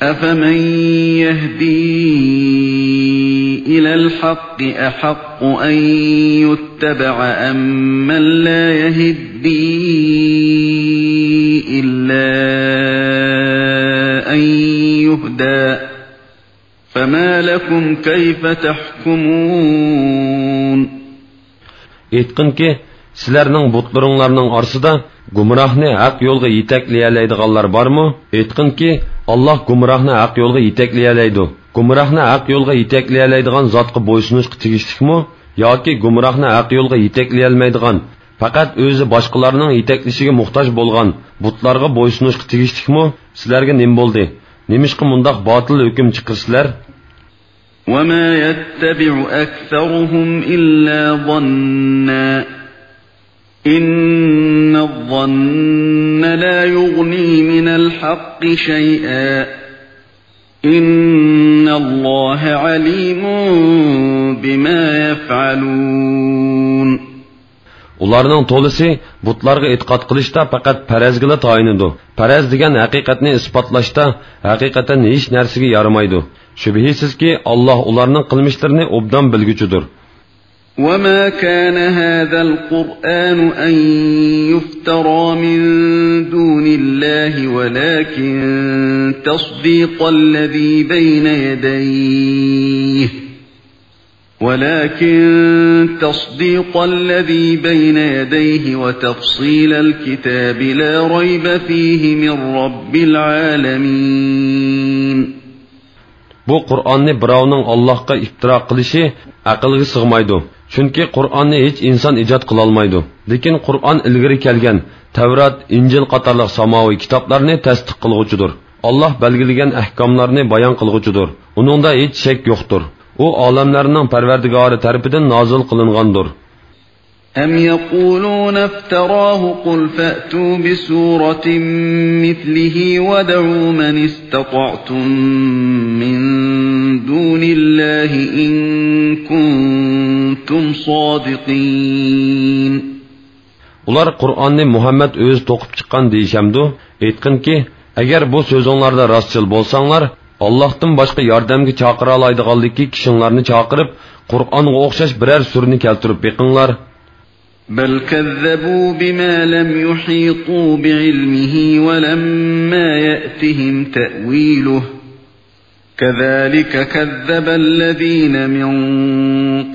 أفمن يهدي إلى الحق أحق أن يتبع أمن لا يهدي إلا أن يهدى؟ فما لكم كيف تحكمون؟ ئېيتقىنكى، سىلەرنىڭ بۇتلىرىڭلارنىڭ ئارىسىدا گۇمراھنى ھەق يولغا يېتەكلىيەلەيدىغانلار بارمۇ؟ ئېيتقىنكى، ئاللاھ گۇمراھنى ھەق يولغا يېتەكلىيەلەيدۇ. گۇمراھنى ھەق يولغا يېتەكلىيەلەيدىغان زاتقا بويسۇنۇشقا تېگىشلىكمۇ؟ ياكى گۇمراھنى ھەق يولغا يېتەكلىيەلمەيدىغان، پەقەت ئۆزى باشقىلارنىڭ يېتەكلىشىگە موھتاج بولغان بۇتلارغا بويسۇنۇشقا تېگىشلىكمۇ؟ سىلەرگە نېمە بولدى؟ نېمىشقا مۇنداق باتىل ھۆكۈم چىقىرىسىلەر؟ وما يتبع أكثرهم إلا ظنا إن الظن لا يغني من الحق شيئا إن الله عليم بما يفعلون. ئۇلارنىڭ تولىسى بۇتلارغا ئېتىقاد قىلىشتا پەقەت پەرەزگىلا تايىنىدۇ. پەرەز دېگەن ھەقىقەتنى ئىسپاتلاشتا ھەقىقەتەن ھېچ نەرسىگە يارىمايدۇ. شۈبھىسىزكى، ئاللاھ ئۇلارنىڭ قىلمىشلىرىنى ئوبدان بىلگۈچىدۇر. وما كان هذا القرآن أن يفترى من دون الله ولكن تصديق الذي بين يديه ولكن تصديق الذي بين يديه وتفصيل الكتاب لا ريب فيه من رب العالمين. بۇ قۇرئاننى بىراۋنىڭ ئاللاھقا ئىپتىرا قىلىشى ئەقىلگە سىغمايدۇ. چۈنكى قۇرئاننى ھېچ ئىنسان ئىجاد قىلالمايدۇ. لېكىن قۇرئان ئىلگىرى كەلگەن تەۋرات، ئىنجىل قاتارلىق ساماۋىي كىتابلارنى تەستىق قىلغۇچىدۇر. ئاللاھ بەلگىلىگەن ئەھكاملارنى بايان قىلغۇچىدۇر. ئۇنىڭدا ھېچ شەك يوقتۇر. ئۇ ئالەملەرنىڭ پەرۋەردىگارى تەرىپىدىن نازىل قىلىنغاندۇر. أم يقولون افتراه قل فأتوا بسورة مثله وادعوا من استطعتم من دون الله إن كنتم صادقين. ئۇلار قۇرئاننى مۇھەممەد ئۆزى توقۇپ چىققان دېيىشەمدۇ؟ ئېيتقىنكى، ئەگەر بۇ سۆزۈڭلاردا راستچىل بولساڭلار، ئاللاھتىن باشقا ياردەمگە چاقىرالايدىغانلىكى كىشىڭلارنى چاقىرىپ، قۇرئانغا ئوخشاش بىرەر سۈرىنى كەلتۈرۈپ بېقىڭلار. بل كذبوا بما لم يحيطوا بعلمه ولما يأتهم تأويله كذلك كذب الذين من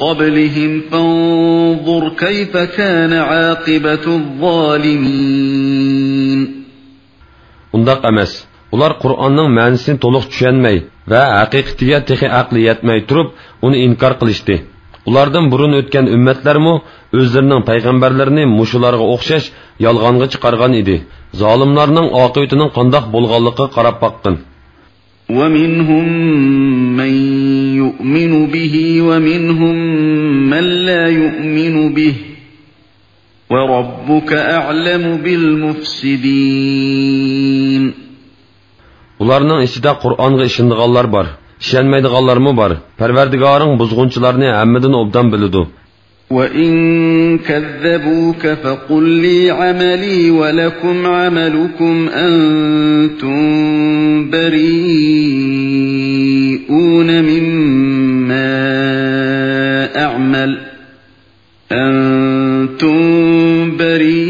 قبلهم فانظر كيف كان عاقبة الظالمين. ئۇنداق ئەمەس. ئۇلار قۇرئاننىڭ مەنىسىنى تولۇق چۈشەنمەي ۋە ھەقىقىتىگە تېخى ئەقلى يەتمەي تۇرۇپ، ئۇنى ئىنكار قىلىشتى. ئۇلاردىن بۇرۇن ئۆتكەن ئۈممەتلەرمۇ ئۆزلىرىنىڭ پەيغەمبەرلىرىنى مۇشۇلارغا ئوخشاش يالغانغا چىقارغان ئىدى. زالىملارنىڭ ئاقىۋىتىنىڭ قانداق بولغانلىقىغا قاراپ باققىن. ومنهم من يؤمن به ومنهم من لا يؤمن به وربك أعلم بالمفسدين. ئۇلارنىڭ ئىچىدە قۇرئانغا ئىشىنىدىغانلار بار، ئىشەنمەيدىغانلارمۇ بار. پەرۋەردىگارىڭ بۇزغۇنچىلارنى ھەممىدىن ئوبدان بىلىدۇ. وإن كذبوك فقل لي عملي ولكم عملكم أنتم بريئون مما أعمل أنتم بريئون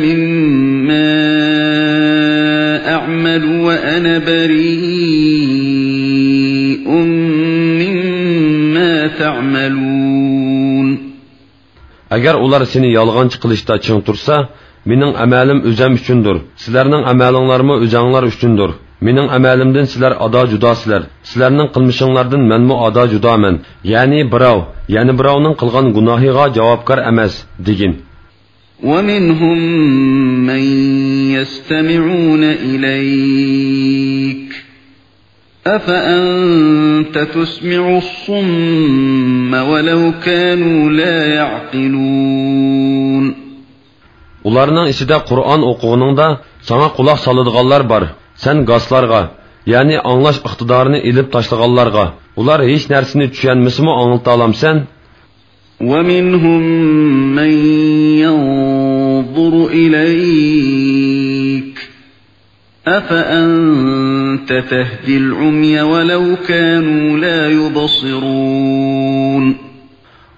مما أعمل وأنا بريء مما تعملون. ئەگەر ئۇلار سېنى يالغانچى قىلىشتا چىڭ تۇرسا، مېنىڭ ئەمەلىم ئۆزەم ئۈچۈندۇر، سىلەرنىڭ ئەمەلىڭلارمۇ ئۆزەڭلار ئۈچۈندۇر. مېنىڭ ئەمەلىمدىن سىلەر ئادا جۇداسىلەر، سىلەرنىڭ قىلمىشىڭلاردىن مەنمۇ ئادا جۇدامەن. يەنى بىراۋ يەنە بىراۋنىڭ قىلغان گۇناھىغا جاۋابكار ئەمەس، دېگىن. ومنهم من يستمعون إليك أفأنت تسمع الصم ولو كانوا لا يعقلون. ئۇلارنىڭ ئىچىدە قۇرئان ئوقۇغىنىڭدا ساڭا قۇلاق سالىدىغانلار بار. سەن گاسلارغا، يەنى ئاڭلاش ئىقتىدارىنى ئېلىپ تاشلىغانلارغا، ئۇلار ھېچ نەرسىنى چۈشەنمىسىمۇ ئاڭلىتالامسەن؟ ومنهم من ينظر إليك أفأنت تهدي العمي ولو كانوا لا يبصرون.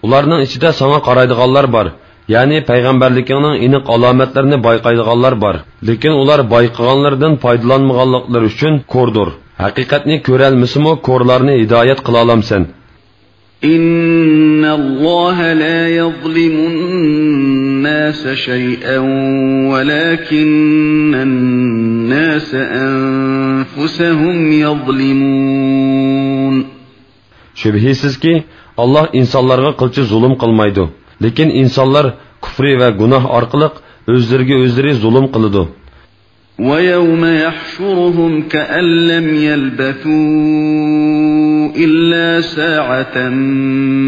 ئۇلارنىڭ ئىچىدە ساڭا قارايدىغانلار بار، يەنى پەيغەمبەرلىكىڭنىڭ ئېنىق ئالامەتلىرىنى بايقايدىغانلار بار. لېكىن ئۇلار بايقىغانلىرىدىن پايدىلانمىغانلىقلىرى ئۈچۈن كوردۇر. ھەقىقەتنى كۆرەلمىسىمۇ كورلارنى ھىدايەت قىلالامسەن؟ إن الله لا يظلم الناس شيئا ولكن الناس أنفسهم يظلمون. شۈبھىسىزكى، ئاللاھ ئىنسانلارغا قىلچە زۇلۇم قىلمايدۇ، لېكىن ئىنسانلار كۇفرى ۋە گۇناھ ئارقىلىق ئۆزلىرىگە ئۆزلىرى زۇلۇم قىلىدۇ. ويوم يحشرهم كأن لم يلبثوا إلا ساعة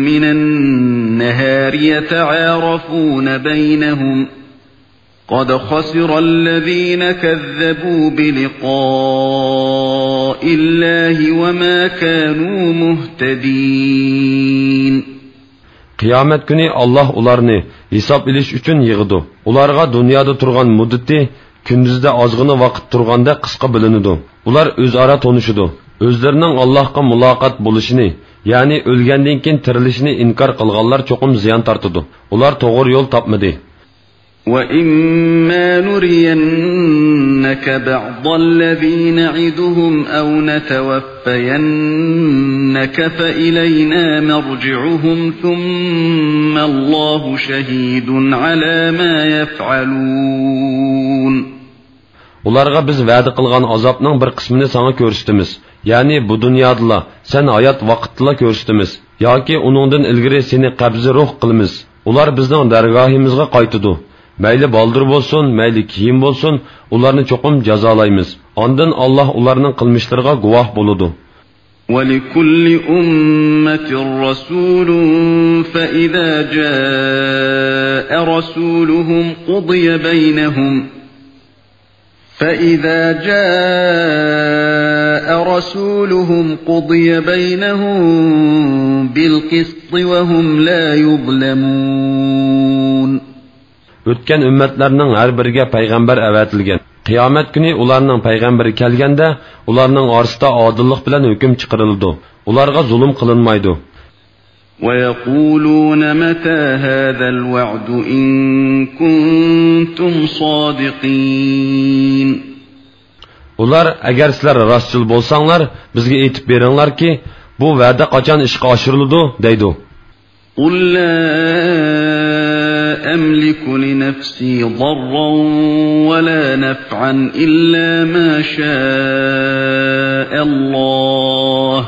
من النهار يتعارفون بينهم قد خسر الذين كذبوا بلقاء الله وما كانوا مهتدين. قىيامەت كۈنى ئاللاھ ئۇلارنى ھېساب ئېلىش ئۈچۈن يىغىدۇ. ئۇلارغا دۇنيادا تۇرغان مۇددىتى كۈندۈزدە ئازغىنا ۋاقىت تۇرغاندەك قىسقا بىلىنىدۇ. ئۇلار ئۆزئارا تونۇشىدۇ. ئۆزلىرىنىڭ ئاللاھقا مۇلاقات بولۇشىنى، يەنى ئۆلگەندىن كېيىن تىرىلىشىنى ئىنكار قىلغانلار چوقۇم زىيان تارتىدۇ. ئۇلار توغرا يول تاپمىدى. وإما نرينك بعض الذي نعدهم أو نتوفينك فإلينا مرجعهم ثم الله شهيد على ما يفعلون. ئۇلارغا بىز ۋەدە قىلغان ئازابنىڭ بىر قىسمىنى ساڭا كۆرسىتىمىز. يەنى بۇ دۇنيادىلا، سەن ھايات ۋاقىتتىلا كۆرسىتىمىز. ياكى ئۇنىڭدىن ئىلگىرى سېنى قەبزى روھ قىلىمىز. ئۇلار بىزنىڭ دەرگاھىمىزغا قايتىدۇ. مەيلى بالدۇر بولسۇن، مەيلى كېيىن بولسۇن، ئۇلارنى چوقۇم جازالايمىز. ئاندىن ئاللاھ ئۇلارنىڭ قىلمىشلىرىغا گۇۋاھ بولىدۇ. ولكل أمة رسول فإذا جاء رسولهم قضي بينهم فإذا جاء رسولهم قضي بينهم بالقسط وهم لا يظلمون. ئۆتكەن ئۈممەتلەرنىڭ ھەر بىرىگە پەيغەمبەر ئەۋەتىلگەن. قىيامەت كۈنى ئۇلارنىڭ پەيغەمبىرى كەلگەندە، ئۇلارنىڭ ئارىسىدا ئادىللىق بىلەن ھۆكۈم چىقىرىلىدۇ. ئۇلارغا زۇلۇم قىلىنمايدۇ. ويقولون متى هذا الوعد إن كنتم صادقين. ئۇلار، ئەگەر سىلەر راستچىل بولساڭلار، بىزگە ئېيتىپ بېرىڭلاركى، بۇ ۋەدە قاچان ئىشقا ئاشۇرۇلىدۇ؟ دەيدۇ. قل لا أملك لنفسي ضرا ولا نفعا إلا ما شاء الله،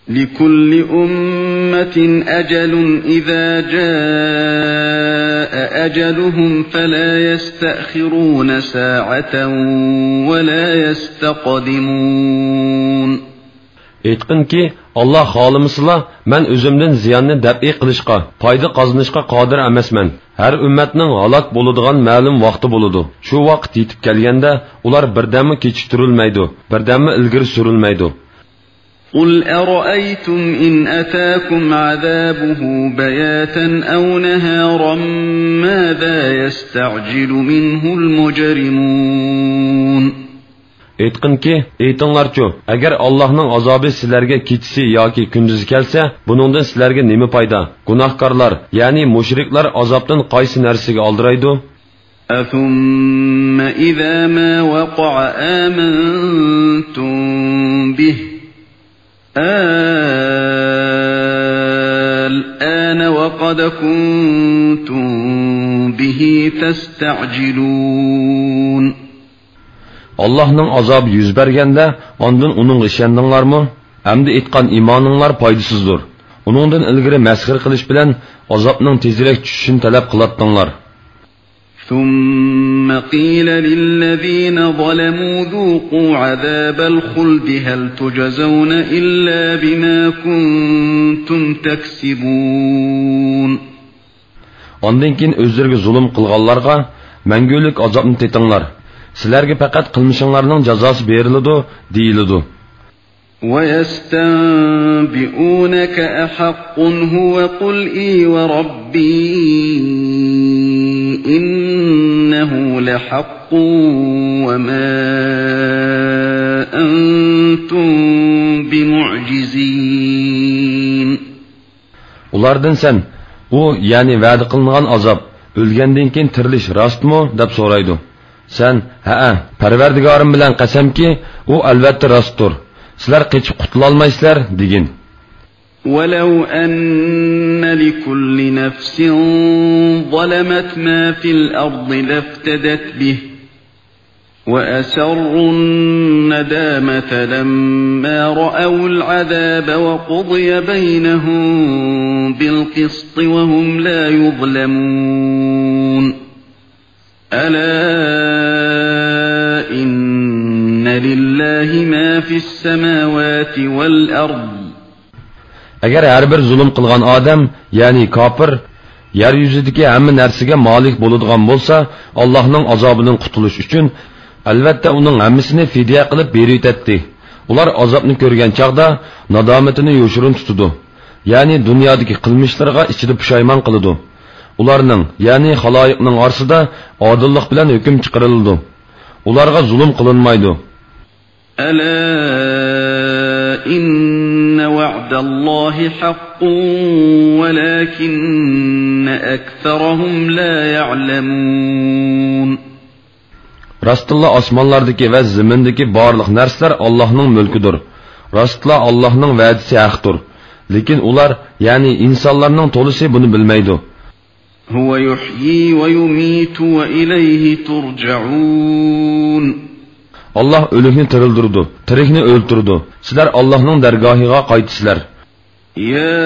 لكل أمة أجل إذا جاء أجلهم فلا يستأخرون ساعة ولا يستقدمون. ئېيتقىنكى، ئاللا خالىمىسىلا، مەن ئۆزۈمدىن زىياننى دەپئى قىلىشقا، پايدا قازىنىشقا قادىر ئەمەسمەن. ھەر ئۈممەتنىڭ ھالاك بولىدىغان مەلۇم ۋاقتى بولىدۇ. شۇ ۋاقىت يېتىپ كەلگەندە، ئۇلار بىردەممۇ كېچىكتۈرۈلمەيدۇ، بىردەممۇ ئىلگىرى سۈرۈلمەيدۇ. قل أرأيتم إن أتاكم عذابه بياتا أو نهارا ماذا يستعجل منه المجرمون. ئېيتقىنكى، ئېيتىڭلارچۇ، ئەگەر ئاللاھنىڭ ئازابى سىلەرگە كېچىسى ياكى كۈندۈزى كەلسە، بۇنىڭدىن سىلەرگە نېمە پايدا؟ گۇناھكارلار، يەنى مۇشرىكلار ئازابتىن قايسى نەرسىگە ئالدىرايدۇ؟ أثم إذا ما وقع آمنتم به الآن وقد كنتم به تستعجلون. ئاللاھنىڭ ئازابى يۈز بەرگەندە، ئاندىن ئۇنىڭغا ئىشەندىڭلارمۇ؟ ئەمدى ئېيتقان ئىمانىڭلار پايدىسىزدۇر. ئۇنىڭدىن ئىلگىرى مەسخىرە قىلىش بىلەن ئازابنىڭ تېزرەك چۈشۈشىنى تەلەپ قىلاتتىڭلار. ثم قيل للذين ظلموا ذوقوا عذاب الخلد هل تجزون إلا بما كنتم تكسبون. ئاندىن كېيىن ئۆزلىرىگە زۇلۇم قىلغانلارغا، مەڭگۈلۈك ئازابنى تېتىڭلار، سىلەرگە پەقەت قىلمىشىڭلارنىڭ جازاسى بېرىلىدۇ، دېيىلىدۇ. ويستنبئونك أحق هو قل إي وربي إنه لحق وما أنتم بمعجزين. ئۇلاردىن سەن، ئۇ، يەنى ۋەدە قىلىنغان ئازاب، ئۆلگەندىن كېيىن تىرىلىش راستمۇ؟ دەپ سورايدۇ. سەن، ھەئە، پەرۋەردىگارىم بىلەن قەسەمكى، ئۇ ئەلۋەتتە راستتۇر. سىلەر قېچىپ قۇتۇلالمايسىلەر، دېگىن. ولو أن لكل نفس ظلمت ما في الأرض لافتدت به وأسروا الندامة لما رأوا العذاب وقضي بينهم بالقسط وهم لا يظلمون. ألا إن لله ما في السماوات والأرض. ئەگەر ھەر بىر زۇلۇم قىلغان ئادەم، يەنى كاپىر، يەر يۈزىدىكى ھەممە نەرسىگە مالىك بولىدىغان بولسا، ئاللاھنىڭ ئازابىدىن قۇتۇلۇش ئۈچۈن، ئەلۋەتتە، ئۇنىڭ ھەممىسىنى فىدىيە قىلىپ بېرىۋېتەتتى. ئۇلار ئازابنى كۆرگەن چاغدا نادامىتىنى يوشۇرۇن تۇتىدۇ. يەنى دۇنيادىكى قىلمىشلىرىغا ئىچىدە پۇشايمان قىلىدۇ. ئۇلارنىڭ، يەنى خالايىقنىڭ ئارىسىدا ئادىللىق بىلەن ھۆكۈم چىقىرىلىدۇ. ئۇلارغا زۇلۇم قىلىنمايدۇ. ألا إن وعد الله حق ولكن أكثرهم لا يعلمون. راستتىنلا ئاسمانلاردىكى ۋە زېمىندىكى بارلىق نەرسىلەر ئاللاھنىڭ مۈلكىدۇر. راستتىنلا ئاللاھنىڭ ۋەدىسى ھەقتۇر. لېكىن ئۇلار، يەنى ئىنسانلارنىڭ تولىسى بۇنى بىلمەيدۇ. هو يحيي ويميت وإليه ترجعون. ئاللاھ ئۆلۈكنى تىرىلدۈرىدۇ، تىرىكنى ئۆلتۈرىدۇ. سىلەر ئاللاھنىڭ دەرگاھىغا قايتىسىلەر. يا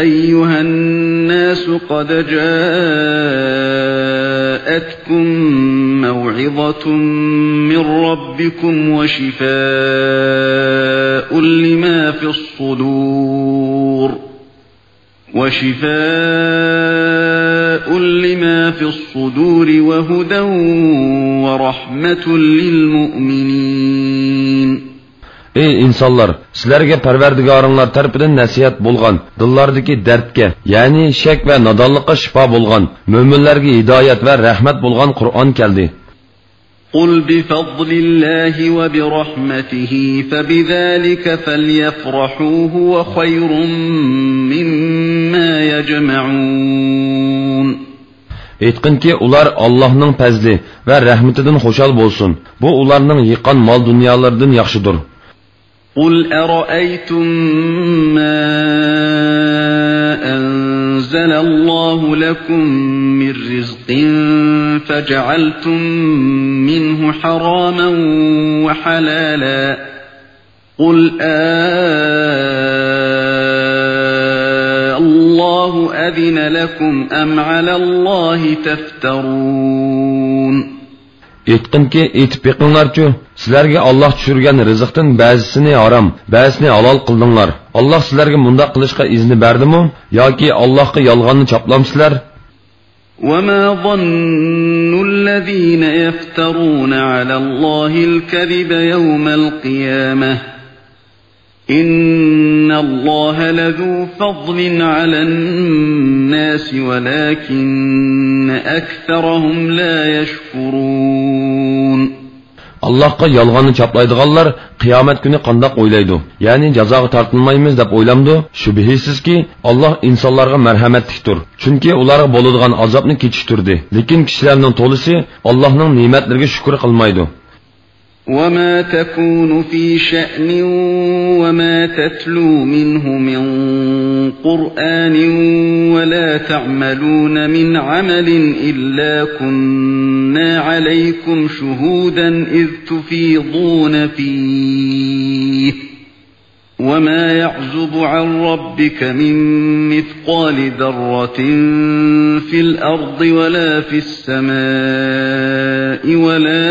أيها الناس قد جاءتكم موعظة من ربكم وشفاء لما في الصدور وشفاء لما في الصدور وهدى ورحمة للمؤمنين. ئەي ئىنسانلار، سىلەرگە پەرۋەردىگارىڭلار تەرىپىدىن نەسىھەت بولغان، دىللاردىكى دەردكە، يەنى شەك ۋە نادانلىققا شىپا بولغان، مۆمىنلەرگە ھىدايەت ۋە رەھمەت بولغان قۇرئان كەلدى. قل بفضل الله وبرحمته فبذلك فليفرحوا هو خير مما يجمعون. ئېيتقىنكى، ئۇلار ئاللاھنىڭ پەزلى ۋە رەھمىتىدىن خۇشال بولسۇن. بۇ ئۇلارنىڭ يىغقان مال-دۇنيالىرىدىن ياخشىدۇر. قل أرأيتم ما أنزل الله لكم من رزق فجعلتم منه حراما وحلالا، قل آه الله أذن لكم أم على الله تفترون. ئېيتقىنكى، ئېيتىپ بېقىڭلارچۇ، سىلەرگە ئاللاھ چۈشۈرگەن رىزىقتىن بەزىسىنى ھارام، بەزىسىنى ھالال قىلدىڭلار. ئاللاھ سىلەرگە مۇنداق قىلىشقا ئىزنى بەردىمۇ؟ ياكى ئاللاھقا يالغاننى چاپلامسىلەر؟ وما ظن الذين يفترون على الله الكذب يوم القيامة إن الله لذو فضل على الناس ولكن أكثرهم لا يشكرون. ئاللاھقا يالغاننى چاپلايدىغانلار قىيامەت كۈنى قانداق ئويلايدۇ؟ يەنى جازاغا تارتىلمايمىز دەپ ئويلامدۇ؟ شۈبھىسىزكى، ئاللاھ ئىنسانلارغا مەرھەمەتلىكتۇر. چۈنكى ئۇلارغا بولىدىغان ئازابنى كېچىكتۈردى. لېكىن كىشىلەرنىڭ تولىسى ئاللاھنىڭ نېمەتلىرىگە شۈكۈر قىلمايدۇ. وما تكون في شأن وما تتلو منه من قرآن ولا تعملون من عمل إلا كنا عليكم شهودا إذ تفيضون فيه وما يعزب عن ربك من مثقال ذرة في الأرض ولا في السماء ولا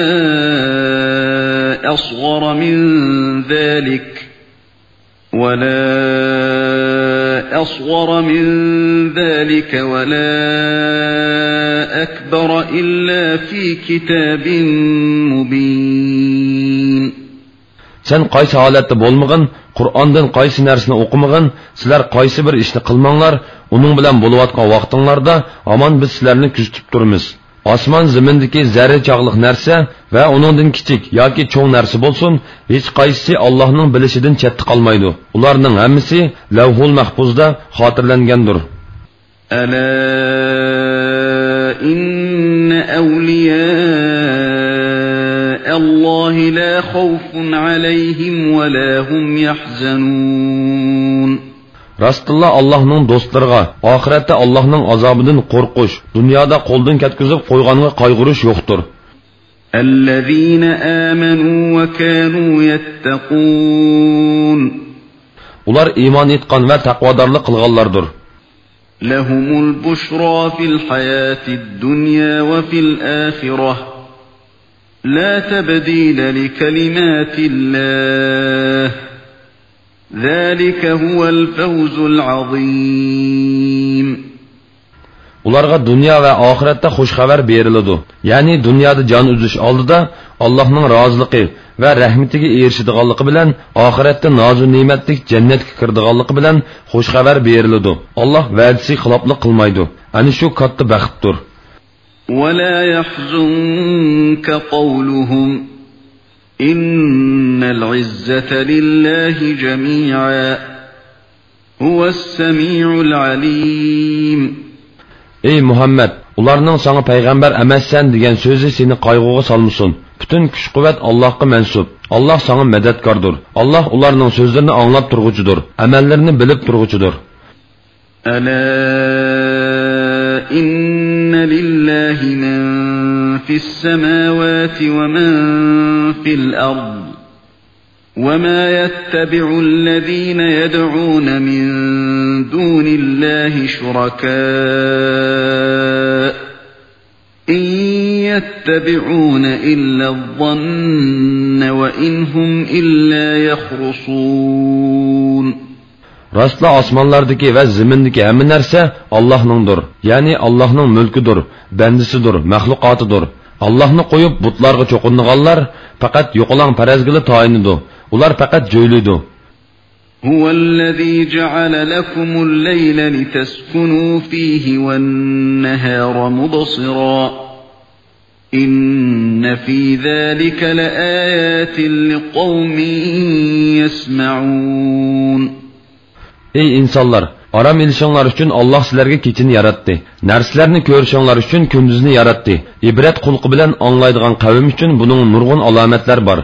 أصغر من ذلك ولا أصغر من ذلك ولا أكبر إلا في كتاب مبين. سەن قايسى ھالەتتە بولمىغىن، قۇرئاندىن قايسى نەرسىنى ئوقۇمىغىن، سىلەر قايسى بىر ئىشنى قىلماڭلار، ئۇنىڭ بىلەن بولۇۋاتقان ۋاقتىڭلاردا ھامان بىز سىلەرنى كۆزىتىپ تۇرىمىز. ئاسمان زېمىندىكى زەررە چاغلىق نەرسە ۋە ئۇنىڭدىن كىچىك ياكى چوڭ نەرسە بولسۇن، ھېچقايسىسى ئاللاھنىڭ بىلىشىدىن چەتتە قالمايدۇ. ئۇلارنىڭ ھەممىسى لەۋھۇل مەھپۇزدا خاتىرىلەنگەندۇر. ألا إن أولياء الله لا خوف عليهم ولا هم يحزنون. راستتىنلا ئاللاھنىڭ دوستلىرىغا ئاخىرەتتە ئاللاھنىڭ ئازابىدىن قورقۇش، دۇنيادا قولدىن كەتكۈزۈپ قويغانغا قايغۇرۇش يوقتۇر. الذين آمنوا وكانوا يتقون. ئۇلار ئىمان ئېيتقان ۋە تەقۋادارلىق قىلغانلاردۇر. لهم البشرى في الحياة الدنيا وفي الآخرة لا تبديل لكلمات الله ذلك هو الفوز العظيم. ئۇلارغا دۇنيا ۋە ئاخىرەتتە خۇش خەۋەر بېرىلىدۇ. يەنى دۇنيادا جان ئۈزۈش ئالدىدا ئاللاھنىڭ رازىلىقى ۋە رەھمىتىگە ئېرىشىدىغانلىقى بىلەن، ئاخىرەتتە نازۇ نېمەتلىك جەننەتكە كىرىدىغانلىقى بىلەن خۇش خەۋەر بېرىلىدۇ. ئاللاھ ۋەدىسىگە خىلاپلىق قىلمايدۇ. ئەنە شۇ كاتتا بەختتۇر. ولا يحزنك قولهم إن العزة لله جميعا هو السميع العليم. ئەي مۇھەممەد، ئۇلارنىڭ ساڭا پەيغەمبەر ئەمەسسەن دېگەن سۆزى سېنى قايغۇغا سالمىسۇن. پۈتۈن كۈچ-قۇۋۋەت ئاللاھقا مەنسۇپ. ئاللاھ ساڭا مەدەتكاردۇر. ئاللاھ ئۇلارنىڭ سۆزلىرىنى ئاڭلاپ تۇرغۇچىدۇر، ئەمەللىرىنى بىلىپ تۇرغۇچىدۇر. ألا إن لله من في السماوات ومن في الأرض وما يتبع الذين يدعون من دون الله شركاء إن يتبعون إلا الظن وإن هم إلا يخرصون. راستلا ئاسمانلاردىكى ۋە زېمىندىكى ھەممە نەرسە ئاللاھنىڭدۇر، يەنى ئاللاھنىڭ مۈلكىدۇر، بەندىسىدۇر، مەخلۇقاتىدۇر. ئاللاھنى قويۇپ بۇتلارغا چوقۇنىدىغانلار پەقەت يوقىلاڭ پەرەزگىلا تايىنىدۇ. ئۇلار پەقەت جۆيلۈيدۇ. هو الذي جعل لكم الليل لتسكنوا فيه والنهار مبصرا إن في ذلك لآيات لقوم يسمعون. ئەي ئىنسانلار، ئارام ئېلىشىڭلار ئۈچۈن ئاللاھ سىلەرگە كېچىنى ياراتتى. نەرسىلەرنى كۆرۈشۈڭلار ئۈچۈن كۈندۈزنى ياراتتى. ئىبرەت قۇلىقى بىلەن ئاڭلايدىغان قەۋم ئۈچۈن بۇنىڭ نۇرغۇن ئالامەتلەر بار.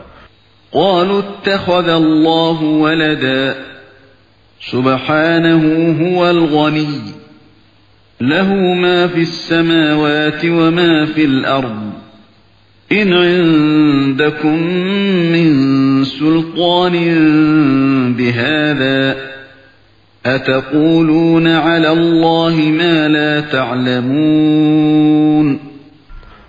قالوا اتخذ الله ولدا. سبحانه هو الغني. له ما في السماوات وما في الأرض. إن عندكم من سلطان بهذا. أتقولون على الله ما لا تعلمون.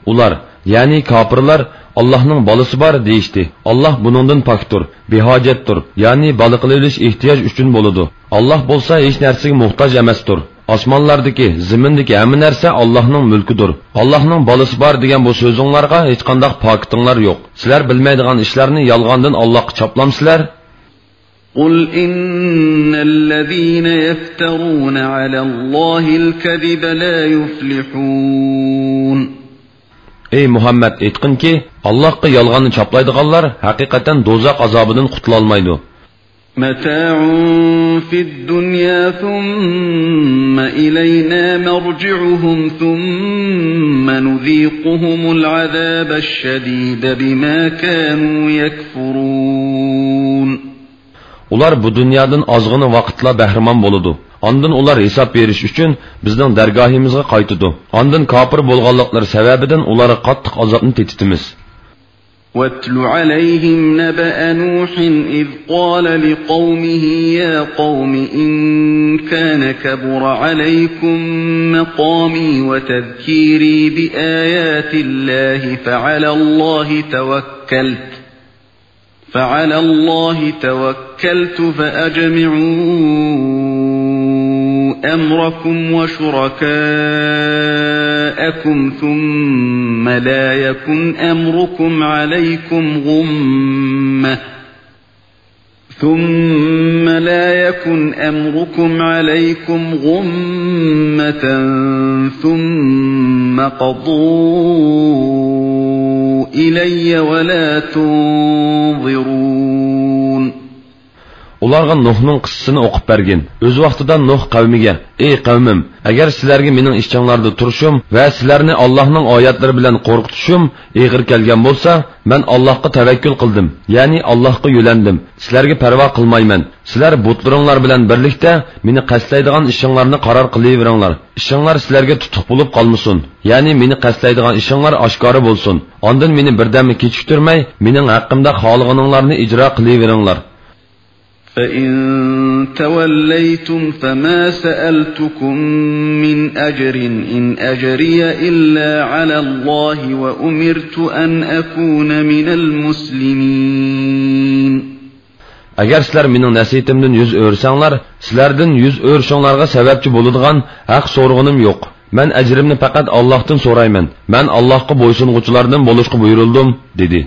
ئۇلار، يەنى كاپىرلار، ئاللاھنىڭ بالىسى بار دېيىشتى. ئاللاھ بۇنىڭدىن پاكتۇر، بىھاجەتتۇر، يەنى بالا قىلىۋېلىش ئېھتىياج ئۈچۈن بولىدۇ. ئاللاھ بولسا ھېچ نەرسىگە موھتاج ئەمەستۇر. ئاسمانلاردىكى، زېمىندىكى ھەممە نەرسە ئاللاھنىڭ مۈلكىدۇر. ئاللاھنىڭ بالىسى بار دېگەن بۇ سۆزۈڭلارغا ھېچقانداق پاكىتىڭلار يوق. سىلەر بىلمەيدىغان ئىشلارنى يالغاندىن ئاللاھقا چاپلامسىلەر؟ قل إن الذين يفترون على الله الكذب لا يفلحون. ئەي مۇھەممەد، ئېيتقىنكى، ئاللاھقا يالغاننى چاپلايدىغانلار ھەقىقەتەن دوزاخ ئازابىدىن قۇتۇلالمايدۇ. متاع في الدنيا ثم إلينا مرجعهم ثم نذيقهم العذاب الشديد بما كانوا يكفرون. ئۇلار بۇ دۇنيادىن ئازغىنە ۋاقىتلا بەھرىمەن بولىدۇ. ئاندىن ئۇلار ھېساب بېرىش ئۈچۈن بىزنىڭ دەرگاھىمىزغا قايتىدۇ. ئاندىن كاپىر بولغانلىقلىرى سەۋەبىدىن ئۇلارغا قاتتىق ئازابنى تېتىتىمىز. واتل عليهم نبأ نوح إذ قال لقومه يا قوم إن كان كبر عليكم مقامي وتذكيري بآيات الله فعلى الله توكلت فعلى الله توكلت فأجمعوا أمركم وشركاءكم ثم لا يكن أمركم عليكم غمة ثم لا يكن أمركم عليكم غمة ثم قضوا إلي ولا تنظرون. ئۇلارغا نۇھنىڭ قىسسىسىنى ئوقۇپ بەرگىن. ئۆز ۋاقتىدا نۇھ قەۋمىگە، ئەي قەۋمىم، ئەگەر سىلەرگە مېنىڭ ئىچىڭلاردا تۇرۇشۇم ۋە سىلەرنى ئاللاھنىڭ ئايەتلىرى بىلەن قورقۇتۇشۇم ئېغىر كەلگەن بولسا، مەن ئاللاھقا تەۋەككۈل قىلدىم، يەنى ئاللاھقا يۆلەندىم. سىلەرگە پەرۋا قىلمايمەن. سىلەر بۇتلىرىڭلار بىلەن بىرلىكتە مېنى قەستلەيدىغان ئىشىڭلارنى قارار قىلىۋېرىڭلار. ئىشىڭلار سىلەرگە تۇتۇق بولۇپ قالمىسۇن. يەنى مېنى قەستلەيدىغان ئىشىڭلار ئاشكارا بولسۇن. ئاندىن مېنى بىردەممۇ كېچىكتۈرمەي، مېنىڭ ھەققىمدە خالىغىنىڭلارنى ئىجرا قىلىۋېرىڭلار. فإن توليتم فما سألتكم من أجر إن أجري إلا على الله وأمرت أن أكون من المسلمين. ئەگەر سىلەر مېنىڭ نەسىھىتىمدىن يۈز ئۆرۈسەڭلار، سىلەردىن يۈز ئۆرۈشۈڭلارغا سەۋەبچى بولىدىغان ھەق سورىغىنىم يوق. مەن ئەجرىمنى پەقەت ئاللاھتىن سورايمەن. مەن ئاللاھقا بويسۇنغۇچىلاردىن بولۇشقا بۇيرۇلدۇم، دېدى.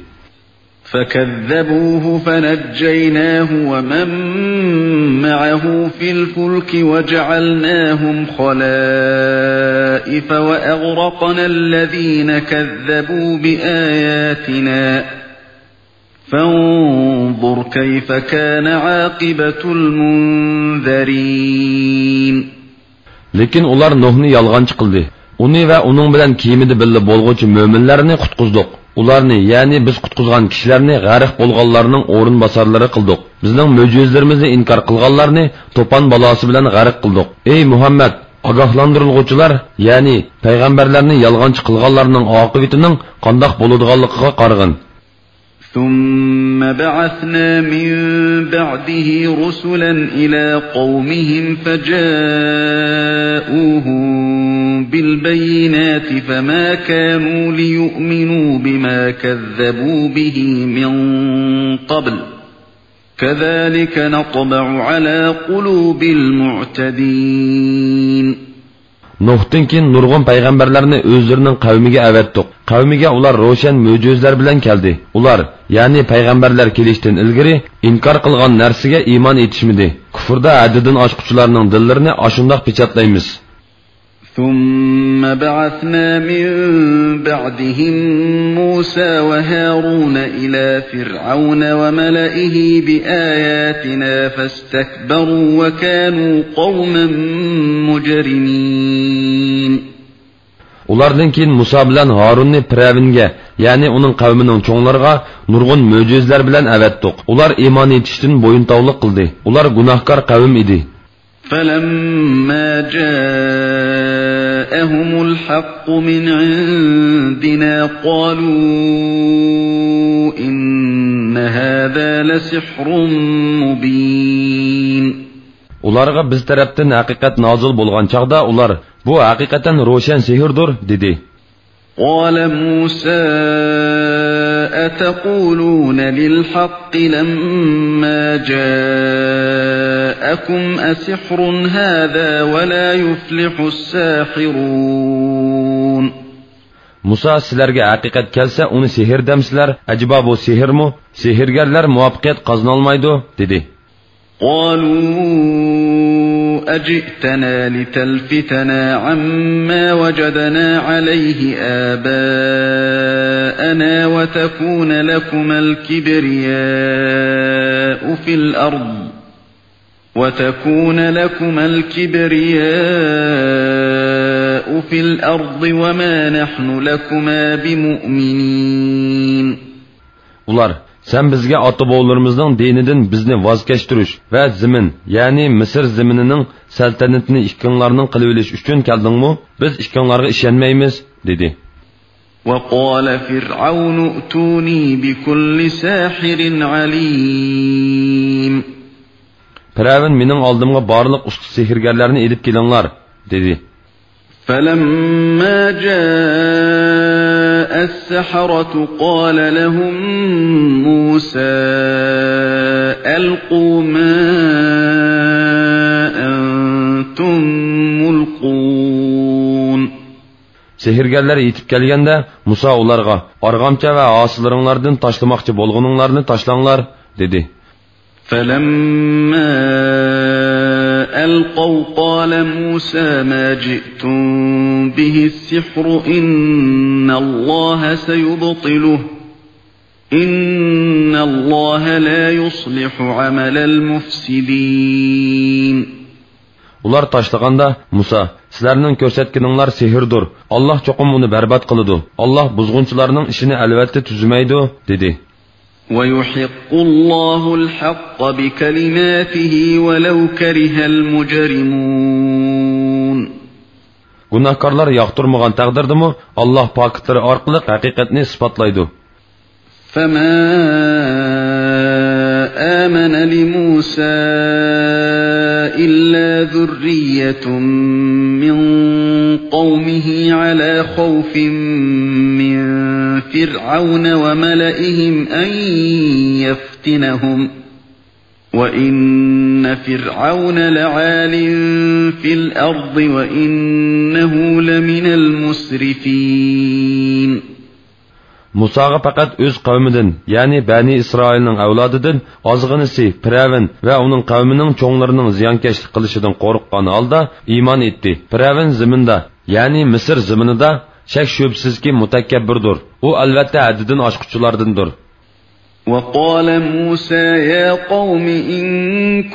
فكذبوه فنجيناه ومن معه في الفلك وجعلناهم خلائف وأغرقنا الذين كذبوا بآياتنا فانظر كيف كان عاقبة المنذرين. لېكىن ئۇلار نۇھنى يالغانچى قىلدى. ئۇنى ۋە ئۇنىڭ بىلەن كېمىدە بىللە بولغۇچى مۆمىنلەرنى قۇتقۇزدۇق. ئۇلارنى، يەنى بىز قۇتقۇزغان كىشىلەرنى غەرق بولغانلارنىڭ ئورۇنباسارلىرى قىلدۇق. بىزنىڭ مۆجىزىلىرىمىزنى ئىنكار قىلغانلارنى توپان بالاسى بىلەن غەرق قىلدۇق. ئەي مۇھەممەد، ئاگاھلاندۇرۇلغۇچىلار، يەنى پەيغەمبەرلەرنى يالغانچى قىلغانلارنىڭ ئاقىۋىتىنىڭ قانداق بولىدىغانلىقىغا قارىغىن. ثم بعثنا من بعده رسلا إلى قومهم فجاءوهم بالبينات فما كانوا ليؤمنوا بما كذبوا به من قبل كذلك نطبع على قلوب المعتدين. نۇھتىن كېيىن نۇرغۇن پەيغەمبەرلەرنى ئۆزلىرىنىڭ قەۋمىگە ئەۋەتتۇق. قەۋمىگە ئۇلار روشەن مۆجىزىلەر بىلەن كەلدى. ئۇلار، يەنى پەيغەمبەرلەر كېلىشتىن ئىلگىرى، ئىنكار قىلغان نەرسىگە ئىمان ئېيتىشمىدى. كۇفردا ھەددىدىن ئاشقۇچىلارنىڭ دىللىرىنى ئاشۇنداق پېچەتلەيمىز. ثم بعثنا من بعدهم موسى وهارون إلى فرعون وملئه بآياتنا فاستكبروا وكانوا قوما مجرمين. ئۇلاردىن كېيىن مۇسا بىلەن ھارۇننى پىرئەۋنگە، يەنى ئۇنىڭ قەۋمىنىڭ چوڭلىرىغا نۇرغۇن مۆجىزىلەر بىلەن ئەۋەتتۇق. ئۇلار ئىمان ئېيتىشتىن بويۇنتاۋلىق قىلدى. ئۇلار گۇناھكار قەۋم ئىدى. فلما جاءهم الحق من عندنا قالوا إن هذا لسحر مبين. ئۇلارغا بىز تەرەپتىن ھەقىقەت نازىل بولغان چاغدا ئۇلار، بۇ ھەقىقەتەن روشەن سېھىردۇر، دېدى. قال موسى أتقولون للحق لما جاءكم أسحر هذا ولا يفلح الساحرون. مۇسا، سىلەرگە ھەقىقەت كەلسە ئۇنى سېھىر دەمسىلەر؟ ئەجەبا بۇ سېھىرمۇ؟ سېھىرگەرلەر مۇۋەپپەقىيەت قازىنالمايدۇ، دېدى. قالوا أجئتنا لتلفتنا عما وجدنا عليه آباءنا وتكون لكما الكبرياء في الأرض وتكون لكما الكبرياء في الأرض وما نحن لكما بمؤمنين. ئۇلار، سەن بىزگە ئاتا-بوۋىلىرىمىزنىڭ دىنىدىن بىزنى ۋاز كەچتۈرۈش ۋە زېمىن، يەنى مىسىر زېمىنىنىڭ سەلتەنىتىنى ئىككىڭلارنىڭ قىلىۋېلىش ئۈچۈن كەلدىڭمۇ؟ بىز ئىككىڭلارغا ئىشەنمەيمىز، دېدى. وقال فرعون ائتوني بكل ساحر عليم. پىرئەۋن، مېنىڭ ئالدىمغا بارلىق ئۇستا سېھىرگەرلەرنى ئېلىپ كېلىڭلار، دېدى. فلما جاء السحرة قال لهم موسى ألقوا ما أنتم ملقون. سېھىرگەرلەر يېتىپ كەلگەندە، مۇسا ئۇلارغا، ئارغامچا ۋە ھاسىلىرىڭلاردىن تاشلىماقچى بولغىنىڭلارنى تاشلاڭلار، دېدى. فلما ألقوا قال موسى ما جئتم به السحر إن الله سيبطله إن الله لا يصلح عمل المفسدين. ئۇلار تاشلىغاندا، مۇسا، سىلەرنىڭ كۆرسەتكىنىڭلار سېھىردۇر. ئاللاھ چوقۇم ئۇنى بەربات قىلىدۇ. ئاللاھ بۇزغۇنچىلارنىڭ ئىشىنى ئەلۋەتتە تۈزىمەيدۇ، دېدى. ويحق الله الحق بكلماته ولو كره المجرمون. گۇناھكارلار ياقتۇرمىغان تەقدىردىمۇ، ئاللاھ پاكىتلىرى ئارقىلىق ھەقىقەتنى ئىسپاتلايدۇ. فما آمن لموسى إلا ذرية من قومه على خوف من فرعون وملئهم أن يفتنهم وإن فرعون لعال في الأرض وإنه لمن المسرفين. مۇساغا پەقەت ئۆز قەۋمىدىن، يەنى بەنى ئىسرائىلنىڭ ئەۋلادىدىن ئازغىنىسى پىرئەۋن ۋە ئۇنىڭ قەۋمىنىڭ چوڭلىرىنىڭ زىيانكەشلىك قىلىشىدىن قورققان ھالدا ئىمان ئېيتتى. پىرئەۋن زېمىندا، يەنى مىسىر زېمىنىدا شەك-شۈبھىسىزكى مۇتەكەببۇردۇر. ئۇ ئەلۋەتتە ھەددىدىن ئاشقۇچىلاردىندۇر. وقال موسى يا قوم إن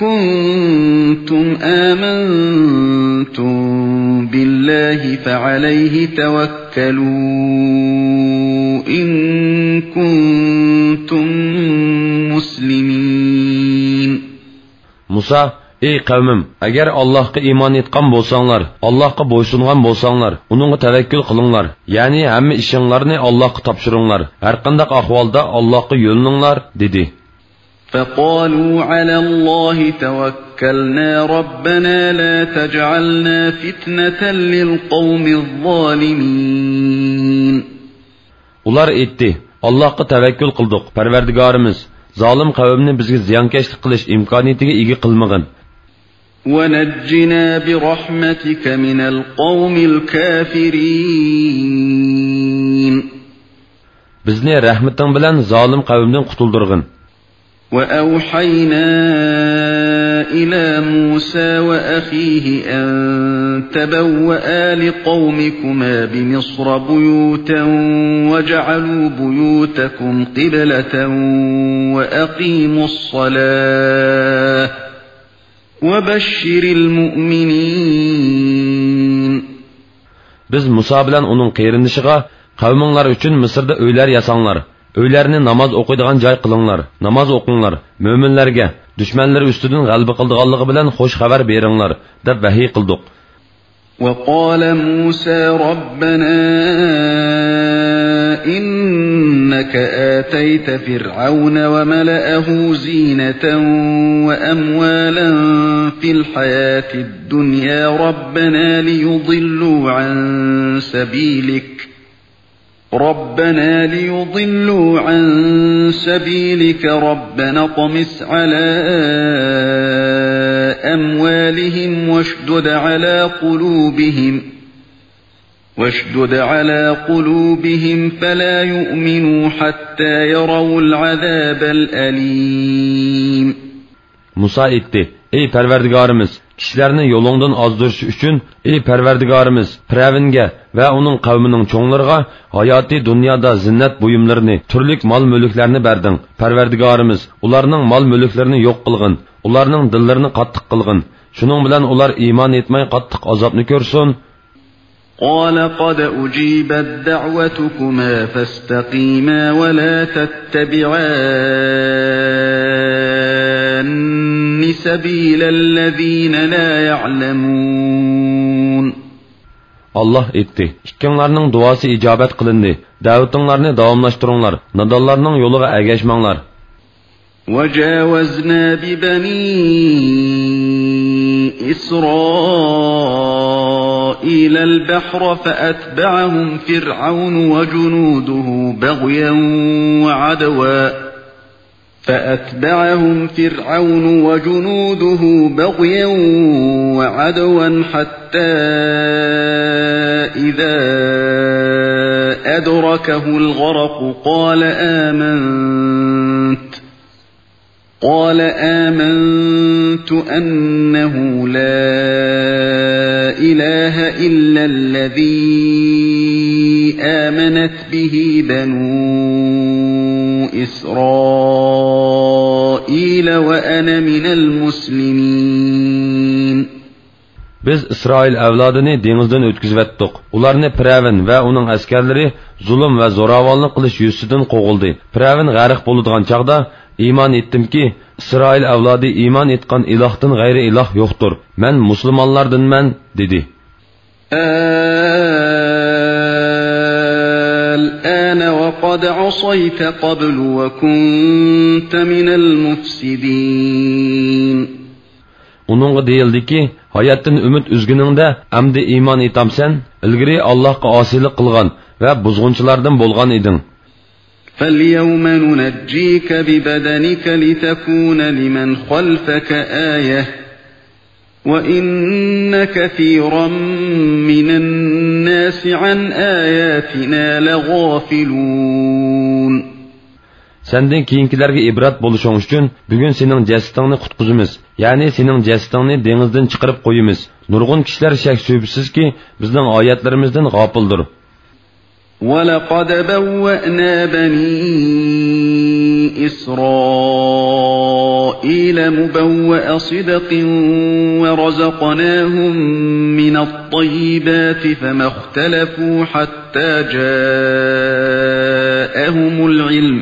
كنتم آمنتم بالله فعليه توكلوا إن كنتم مسلمين. مۇسا، ئەي قەۋمىم، ئەگەر ئاللاھقا ئىمان ئېيتقان بولساڭلار، ئاللاھقا بويسۇنغان بولساڭلار، ئۇنىڭغا تەۋەككۈل قىلىڭلار، يەنى ھەممە ئىشىڭلارنى ئاللاھقا تاپشۇرۇڭلار، ھەرقانداق ئەھۋالدا ئاللاھقا يۆلىنىڭلار، دېدى. فقالوا على الله توكلنا ربنا لا تجعلنا فتنة للقوم الظالمين. ئۇلار ئېيتتى، ئاللاھقا تەۋەككۈل قىلدۇق، پەرۋەردىگارىمىز، زالىم قەۋمنى بىزگە زىيانكەشلىك قىلىش ئىمكانىيىتىگە ئىگە قىلمىغىن. ونجنا برحمتك من القوم الكافرين. بىزنى رەھمىتىڭ بىلەن زالىم قەۋمدىن قۇتۇلدۇرغىن. وأوحينا إلى موسى وأخيه أن تبوآ لقومكما بمصر بيوتا واجعلوا بيوتكم قبلة وأقيموا الصلاة وبشر المؤمنين. بىز مۇسا بىلەن ئۇنىڭ قېرىندىشىغا، قەۋمىڭلار ئۈچۈن مىسىردا ئۆيلەر ياساڭلار، ئۆيلەرنى ناماز ئوقۇيدىغان جاي قىلىڭلار، ناماز ئوقۇڭلار، مۆمىنلەرگە، دۈشمەنلىرى ئۈستىدىن غەلىبە قىلىدىغانلىقى بىلەن خوش خەۋەر بېرىڭلار، دەپ ۋەھىي قىلدۇق. وقال موسى ربنا إنك آتيت فرعون وملأه زينة وأموالا في الحياة الدنيا ربنا ليضلوا عن سبيلك ربنا ليضلوا عن سبيلك ربنا اطمس على أموالهم واشدد على قلوبهم واشدد على قلوبهم فلا يؤمنوا حتى يروا العذاب الأليم. مۇسا ئېيتتى: ئەي پەرۋەردىگارىمىز، كىشىلەرنى يولۇڭدىن ئازدۇرۇش ئۈچۈن، ئەي پەرۋەردىگارىمىز، پىرئەۋنگە ۋە ئۇنىڭ قەۋمىنىڭ چوڭلىرىغا ھاياتىي دۇنيادا زىننەت بۇيۇملىرىنى، تۈرلۈك مال-مۈلۈكلەرنى بەردىڭ. پەرۋەردىگارىمىز، ئۇلارنىڭ مال-مۈلۈكلىرىنى يوق قىلغىن، ئۇلارنىڭ دىللىرىنى قاتتىق قىلغىن. شۇنىڭ بىلەن ئۇلار ئىمان ئېيتماي قاتتىق ئازابنى كۆرسۇن. قال قد أجيبت دعوتكما فاستقيما ولا تتبعان سبيل الذين لا يعلمون. ئاللاھ ئېيتتى: ئىككىڭلارنىڭ دۇئاسى ئىجابەت قىلىندى. دەۋىتىڭلارنى داۋاملاشتۇرۇڭلار. نادانلارنىڭ يولىغا ئەگەشمەڭلار. وجاوزنا ببني إسرائيل البحر فأتبعهم فرعون وجنوده بغيا وعدوا فأتبعهم فرعون وجنوده بغيا وعدوا حتى إذا أدركه الغرق قال آمنت قال آمنت أنه لا إله إلا الذي آمنت به بنو إسرائيل وأنا من المسلمين. بىز ئىسرائىل ئەۋلادىنى دېڭىزدىن ئۆتكۈزۈۋەتتۇق. ئۇلارنى پىرئەۋن ۋە ئۇنىڭ ئەسكەرلىرى زۇلۇم ۋە زوراۋانلىق قىلىش يۈزىسىدىن قوغلىدى. پىرئەۋن غەرق بولىدىغان چاغدا، ئىمان ئېيتتىمكى، ئىسرائىل ئەۋلادى ئىمان ئېيتقان ئىلاھتىن غەيرى ئىلاھ يوقتۇر. مەن مۇسۇلمانلاردىنمەن، دېدى. الآن وقد عصيت قبل وكنت من المفسدين. ئۇنىڭغا دېيىلدىكى، ھاياتتىن ئۈمىد ئۈزگىنىڭدە ئەمدى ئىمان ئېيتامسەن؟ ئىلگىرى ئاللاھقا ئاسىيلىق قىلغان ۋە بۇزغۇنچىلاردىن بولغان ئىدىڭ. فاليوم ننجيك ببدنك لتكون لمن خلفك آية وإن كثيرا من الناس عن آياتنا لغافلون. سەندىن كېيىنكىلەرگە ئىبرەت بولۇشۇڭ ئۈچۈن، بۈگۈن سېنىڭ جەسىتىڭنى قۇتقۇزىمىز، يەنى سېنىڭ جەسىتىڭنى دېڭىزدىن چىقىرىپ قويىمىز. نۇرغۇن كىشىلەر شەك-شۈبھىسىزكى، بىزنىڭ ئايەتلىرىمىزدىن غاپىلدۇر. ولقد بوأنا بني إسرائيل مبوأ صدق ورزقناهم من الطيبات فما اختلفوا حتى جاءهم العلم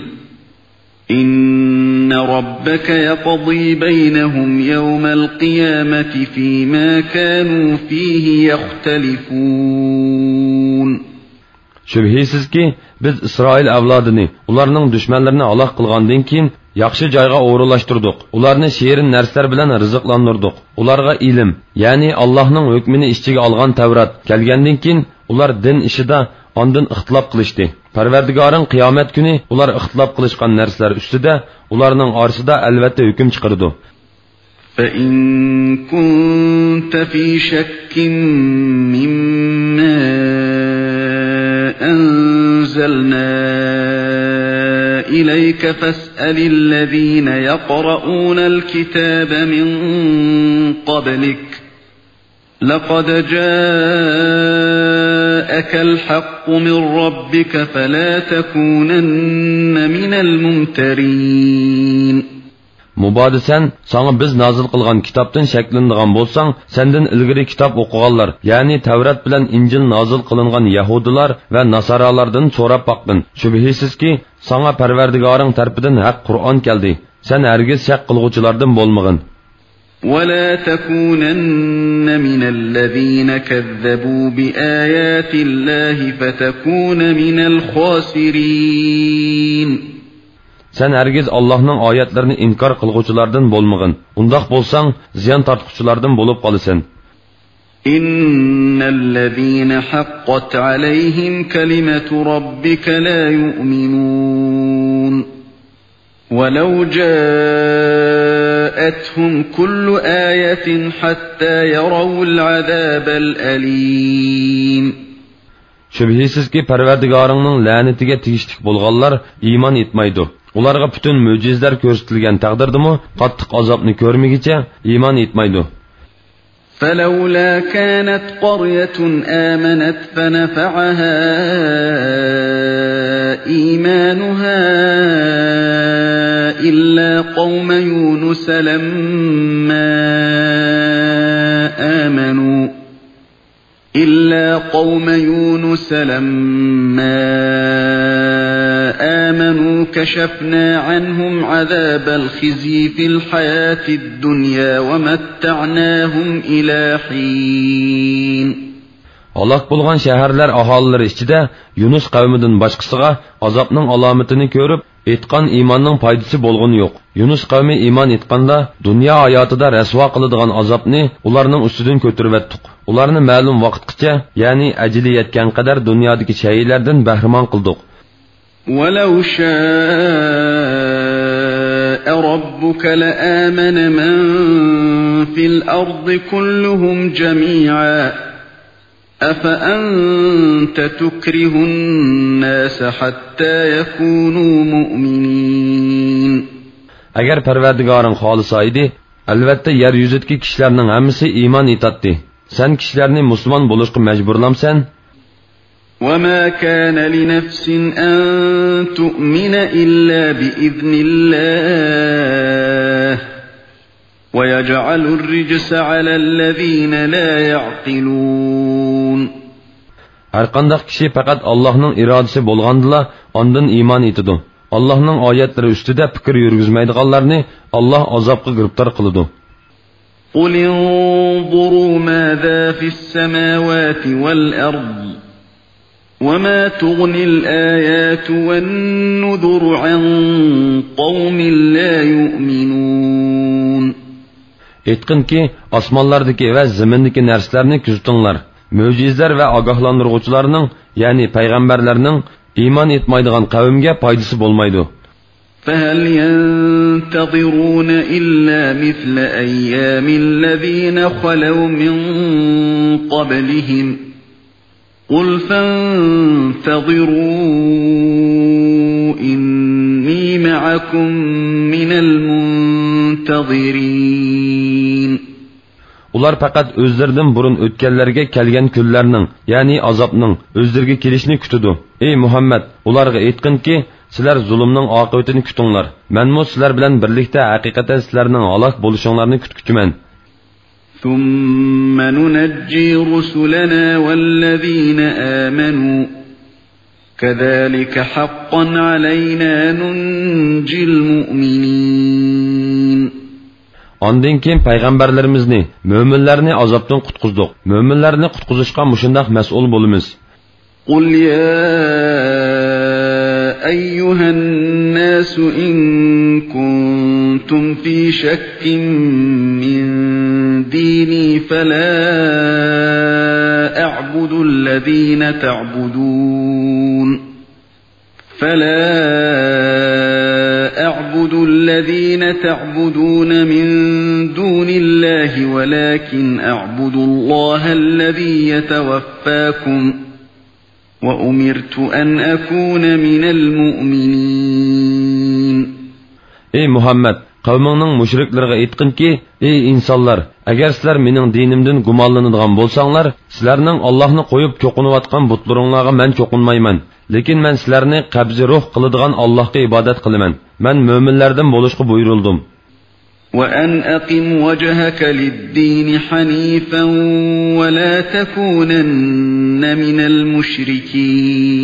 إن ربك يقضي بينهم يوم القيامة فيما كانوا فيه يختلفون. شۈبھىسىزكى، بىز ئىسرائىل ئەۋلادىنى ئۇلارنىڭ دۈشمەنلىرىنى ھالاك قىلغاندىن كېيىن، ياخشى جايغا ئورۇنلاشتۇردۇق. ئۇلارنى شېرىن نەرسىلەر بىلەن رىزىقلاندۇردۇق. ئۇلارغا ئىلىم، يەنى ئاللاھنىڭ ھۆكمىنى ئىچىگە ئالغان تەۋرات كەلگەندىن كېيىن، ئۇلار دىن ئىشىدا ئاندىن ئىختىلاپ قىلىشتى. پەرۋەردىگارىڭ قىيامەت كۈنى ئۇلار ئىختىلاپ قىلىشقان نەرسىلەر ئۈستىدە ئۇلارنىڭ ئارىسىدا ئەلۋەتتە ھۆكۈم چىقىرىدۇ. فإن كنت في شك مما أنزلنا إليك فاسأل الذين يقرؤون الكتاب من قبلك لقد جاءك الحق من ربك فلا تكونن من الممترين. مۇبادا سەن ساڭا بىز نازىل قىلغان كىتابتىن شەكلىنىدىغان بولساڭ، سەندىن ئىلگىرى كىتاب ئوقۇغانلار، يەنى تەۋرات بىلەن ئىنجىل نازىل قىلىنغان يەھۇدىيلار ۋە ناسارالاردىن سوراپ باققىن. شۈبھىسىزكى، ساڭا پەرۋەردىگارىڭ تەرىپىدىن ھەق قۇرئان كەلدى. سەن ھەرگىز شەك قىلغۇچىلاردىن بولمىغىن. ولا تكونن من الذين كذبوا بآيات الله فتكون من الخاسرين. سەن ھەرگىز ئاللاھنىڭ ئايەتلىرىنى ئىنكار قىلغۇچىلاردىن بولمىغىن. ئۇنداق بولساڭ، زىيان تارتقۇچىلاردىن بولۇپ قالىسەن. إن الذين حقت عليهم كلمة ربك لا يؤمنون ولو جاءتهم كل آية حتى يروا العذاب الأليم. شۈبھىسىزكى، پەرۋەردىگارىڭنىڭ لەنىتىگە تېگىشلىك بولغانلار ئىمان ئېيتمايدۇ. ئۇلارغا پۈتۈن مۆجىزىلەر كۆرسىتىلگەن تەقدىردىمۇ، قاتتىق ئازابنى كۆرمىگۈچە ئىمان ئېيتمايدۇ. فلولا كانت قرية آمنت فنفعها إيمانها إلا قوم يونس لما آمنوا إلا قوم يونس لما آمنوا كشفنا عنهم عذاب الخزي في الحياة الدنيا ومتعناهم إلى حين. ھالاك بولغان شەھەرلەر ئاھالىلىرى ئىچىدە يۇنۇس قەۋمىدىن باشقىسىغا ئازابنىڭ ئالامىتىنى كۆرۈپ، ئېيتقان ئىماننىڭ پايدىسى بولغىنى يوق. يۇنۇس قەۋمى ئىمان ئېيتقاندا، دۇنيا ھاياتىدا رەسۋا قىلىدىغان ئازابنى ئۇلارنىڭ ئۈستىدىن كۆتۈرۈۋەتتۇق. ئۇلارنى مەلۇم ۋاقىتقىچە، يەنى ئەجىلى يەتكەن قەدەر دۇنيادىكى شەيئىلەردىن بەھرىمەن قىلدۇق. ولو شاء ربك لآمن من في الأرض كلهم جميعا أفأنت تكره الناس حتى يكونوا مؤمنين. ئەگەر پەرۋەردىگارىڭ خالىسا ئىدى، ئەلۋەتتە يەر يۈزىدىكى كىشىلەرنىڭ ھەممىسى ئىمان ئېيتاتتى. سەن كىشىلەرنى مۇسۇلمان بولۇشقا مەجبۇرلامسەن؟ وما كان لنفس أن تؤمن إلا بإذن الله ويجعل الرجس على الذين لا يعقلون. ھەرقانداق كىشى پەقەت ئاللاھنىڭ ئىرادىسى بولغاندىلا ئاندىن ئىمان ئېيتىدۇ. ئاللاھنىڭ ئايەتلىرى ئۈستىدە پىكىر يۈرگۈزمەيدىغانلارنى ئاللاھ ئازابقا گىرىپتار قىلىدۇ. قل انظروا ماذا في السماوات والأرض وما تغني الآيات والنذر عن قوم لا يؤمنون. ئېيتقىنكى، ئاسمانلاردىكى ۋە زېمىندىكى نەرسىلەرنى كۆزىتىڭلار. مۆجىزىلەر ۋە ئاگاھلاندۇرغۇچىلارنىڭ، يەنى پەيغەمبەرلەرنىڭ ئىمان ئېيتمايدىغان قەۋمگە پايدىسى بولمايدۇ. فهل ينتظرون إلا مثل أيام الذين خلوا من قبلهم قل فانتظروا إني معكم من المنتظرين. ئۇلار پەقەت ئۆزلىرىدىن بۇرۇن ئۆتكەنلەرگە كەلگەن كۈنلەرنىڭ، يەنى ئازابنىڭ ئۆزلىرىگە كېلىشىنى كۈتىدۇ. ئەي مۇھەممەد، ئۇلارغا ئېيتقىنكى، سىلەر زۇلۇمنىڭ ئاقىۋىتىنى كۈتۈڭلار. مەنمۇ سىلەر بىلەن بىرلىكتە ھەقىقەتەن سىلەرنىڭ ھالاك بولۇشۇڭلارنى كۈتكۈچىمەن. ثم ننجي رسلنا والذين آمنوا كذلك حقا علينا ننجي المؤمنين. ئاندىن كېيىن پەيغەمبەرلىرىمىزنى، مۆمىنلەرنى ئازابتىن قۇتقۇزدۇق. مۆمىنلەرنى قۇتقۇزۇشقا مۇشۇنداق مەسئۇل بولىمىز. قل يا أيها الناس إن كنتم في شك من ديني فلا أعبد الذين تعبدون فلا أعبد الذين تعبدون من دون الله ولكن أعبد الله الذي يتوفاكم وأمرت أن أكون من المؤمنين. ئەي مۇھەممەد، قەۋمىڭنىڭ مۇشرىكلىرىغا ئېيتقىنكى، ئەي ئىنسانلار، ئەگەر سىلەر مېنىڭ دىنىمدىن گۇمانلىنىدىغان بولساڭلار، سىلەرنىڭ ئاللاھنى قويۇپ چوقۇنۇۋاتقان بۇتلىرىڭلارغا مەن چوقۇنمايمەن. لېكىن مەن سىلەرنى قەبزى روھ قىلىدىغان ئاللاھقا ئىبادەت قىلىمەن. مەن مۆمىنلەردىن بولۇشقا بۇيرۇلدۇم. وأن أقم وجهك للدين حنيفا ولا تكونن من المشركين.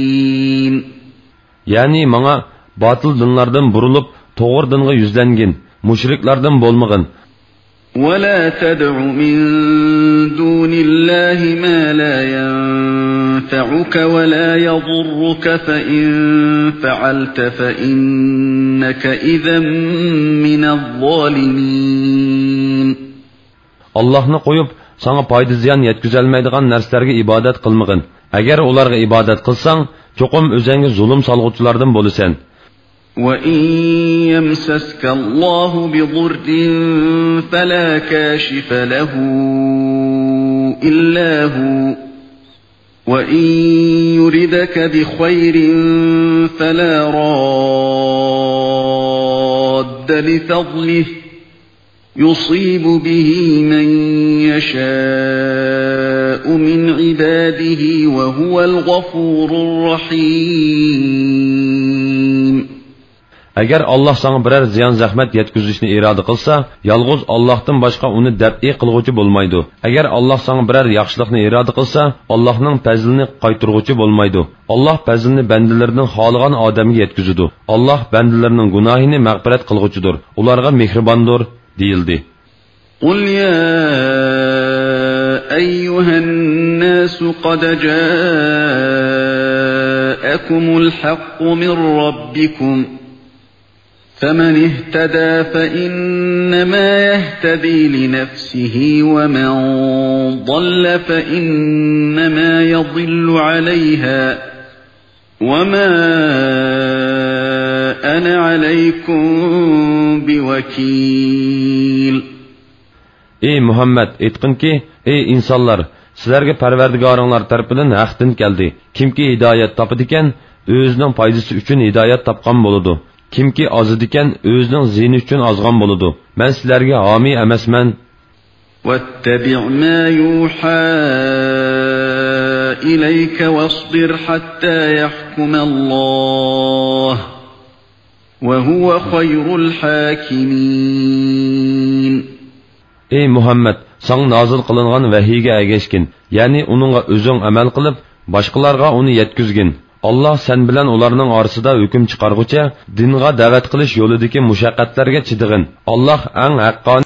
يەنى ماڭا باتىل دىنلاردىن بۇرۇلۇپ، توغرا دىنغا يۈزلەنگىن، مۇشرىكلاردىن بولمىغىن. ولا تدع من دون الله ما لا ينفعك ولا يضرك، فإن فعلت فإنك إذا من الظالمين. ئاللاھنى قويۇپ، ساڭا پايدا زىيان يەتكۈزەلمەيدىغان نەرسىلەرگە ئىبادەت قىلمىغىن. ئەگەر ئۇلارغا ئىبادەت قىلساڭ، چوقۇم ئۆزۈڭگە زۇلۇم سالغۇچىلاردىن بولىسەن. وإن يمسسك الله بضر فلا كاشف له إلا هو، وإن يردك بخير فلا راد لفضله، يصيب به من يشاء من عباده وهو الغفور الرحيم. ئەگەر ئاللاھ ساڭا بىرەر زىيان-زەخمەت يەتكۈزۈشنى ئىرادە قىلسا، يالغۇز ئاللاھتىن باشقا ئۇنى دەپئى قىلغۇچى بولمايدۇ. ئەگەر ئاللاھ ساڭا بىرەر ياخشىلىقنى ئىرادە قىلسا، ئاللاھنىڭ پەزلىنى قايتۇرغۇچى بولمايدۇ. ئاللاھ پەزلىنى بەندىلىرىنىڭ خالىغان ئادەمگە يەتكۈزىدۇ. ئاللاھ بەندىلىرىنىڭ گۇناھىنى مەغپىرەت قىلغۇچىدۇر، ئۇلارغا مېھرىباندۇر، دېيىلدى. قل يا أيها الناس قد جاءكم الحق من ربكم، فمن اهتدى فإنما يهتدي لنفسه، ومن ضل فإنما يضل عليها، وما أنا عليكم بوكيل. ئەي مۇھەممەد، ئېيتقىنكى، ئەي ئىنسانلار، سىلەرگە پەرۋەردىگارىڭلار تەرىپىدىن ھەق دىن كەلدى. كىمكى ھىدايەت تاپىدىكەن، ئۆزىنىڭ پايدىسى ئۈچۈن ھىدايەت تاپقان بولىدۇ. كىمكى ئازىدىكەن، ئۆزىنىڭ زىيىنى ئۈچۈن ئازغان بولىدۇ. مەن سىلەرگە ھامىي ئەمەسمەن. واتبع ما يوحى إليك واصبر حتى يحكم الله، وهو خير الحاكمين. ئەي مۇھەممەد، ساڭا نازىل قىلىنغان ۋەھىيگە ئەگەشكىن، يەنى ئۇنىڭغا ئۆزۈڭ ئەمەل قىلىپ، باشقىلارغا ئۇنى يەتكۈزگىن. ئاللاھ سەن بىلەن ئۇلارنىڭ ئارىسىدا ھۆكۈم چىقارغۇچە، دىنغا دەۋەت قىلىش يولىدىكى مۇشەققەتلەرگە چىدىغىن. ئاللاھ ئەڭ ھەققانىي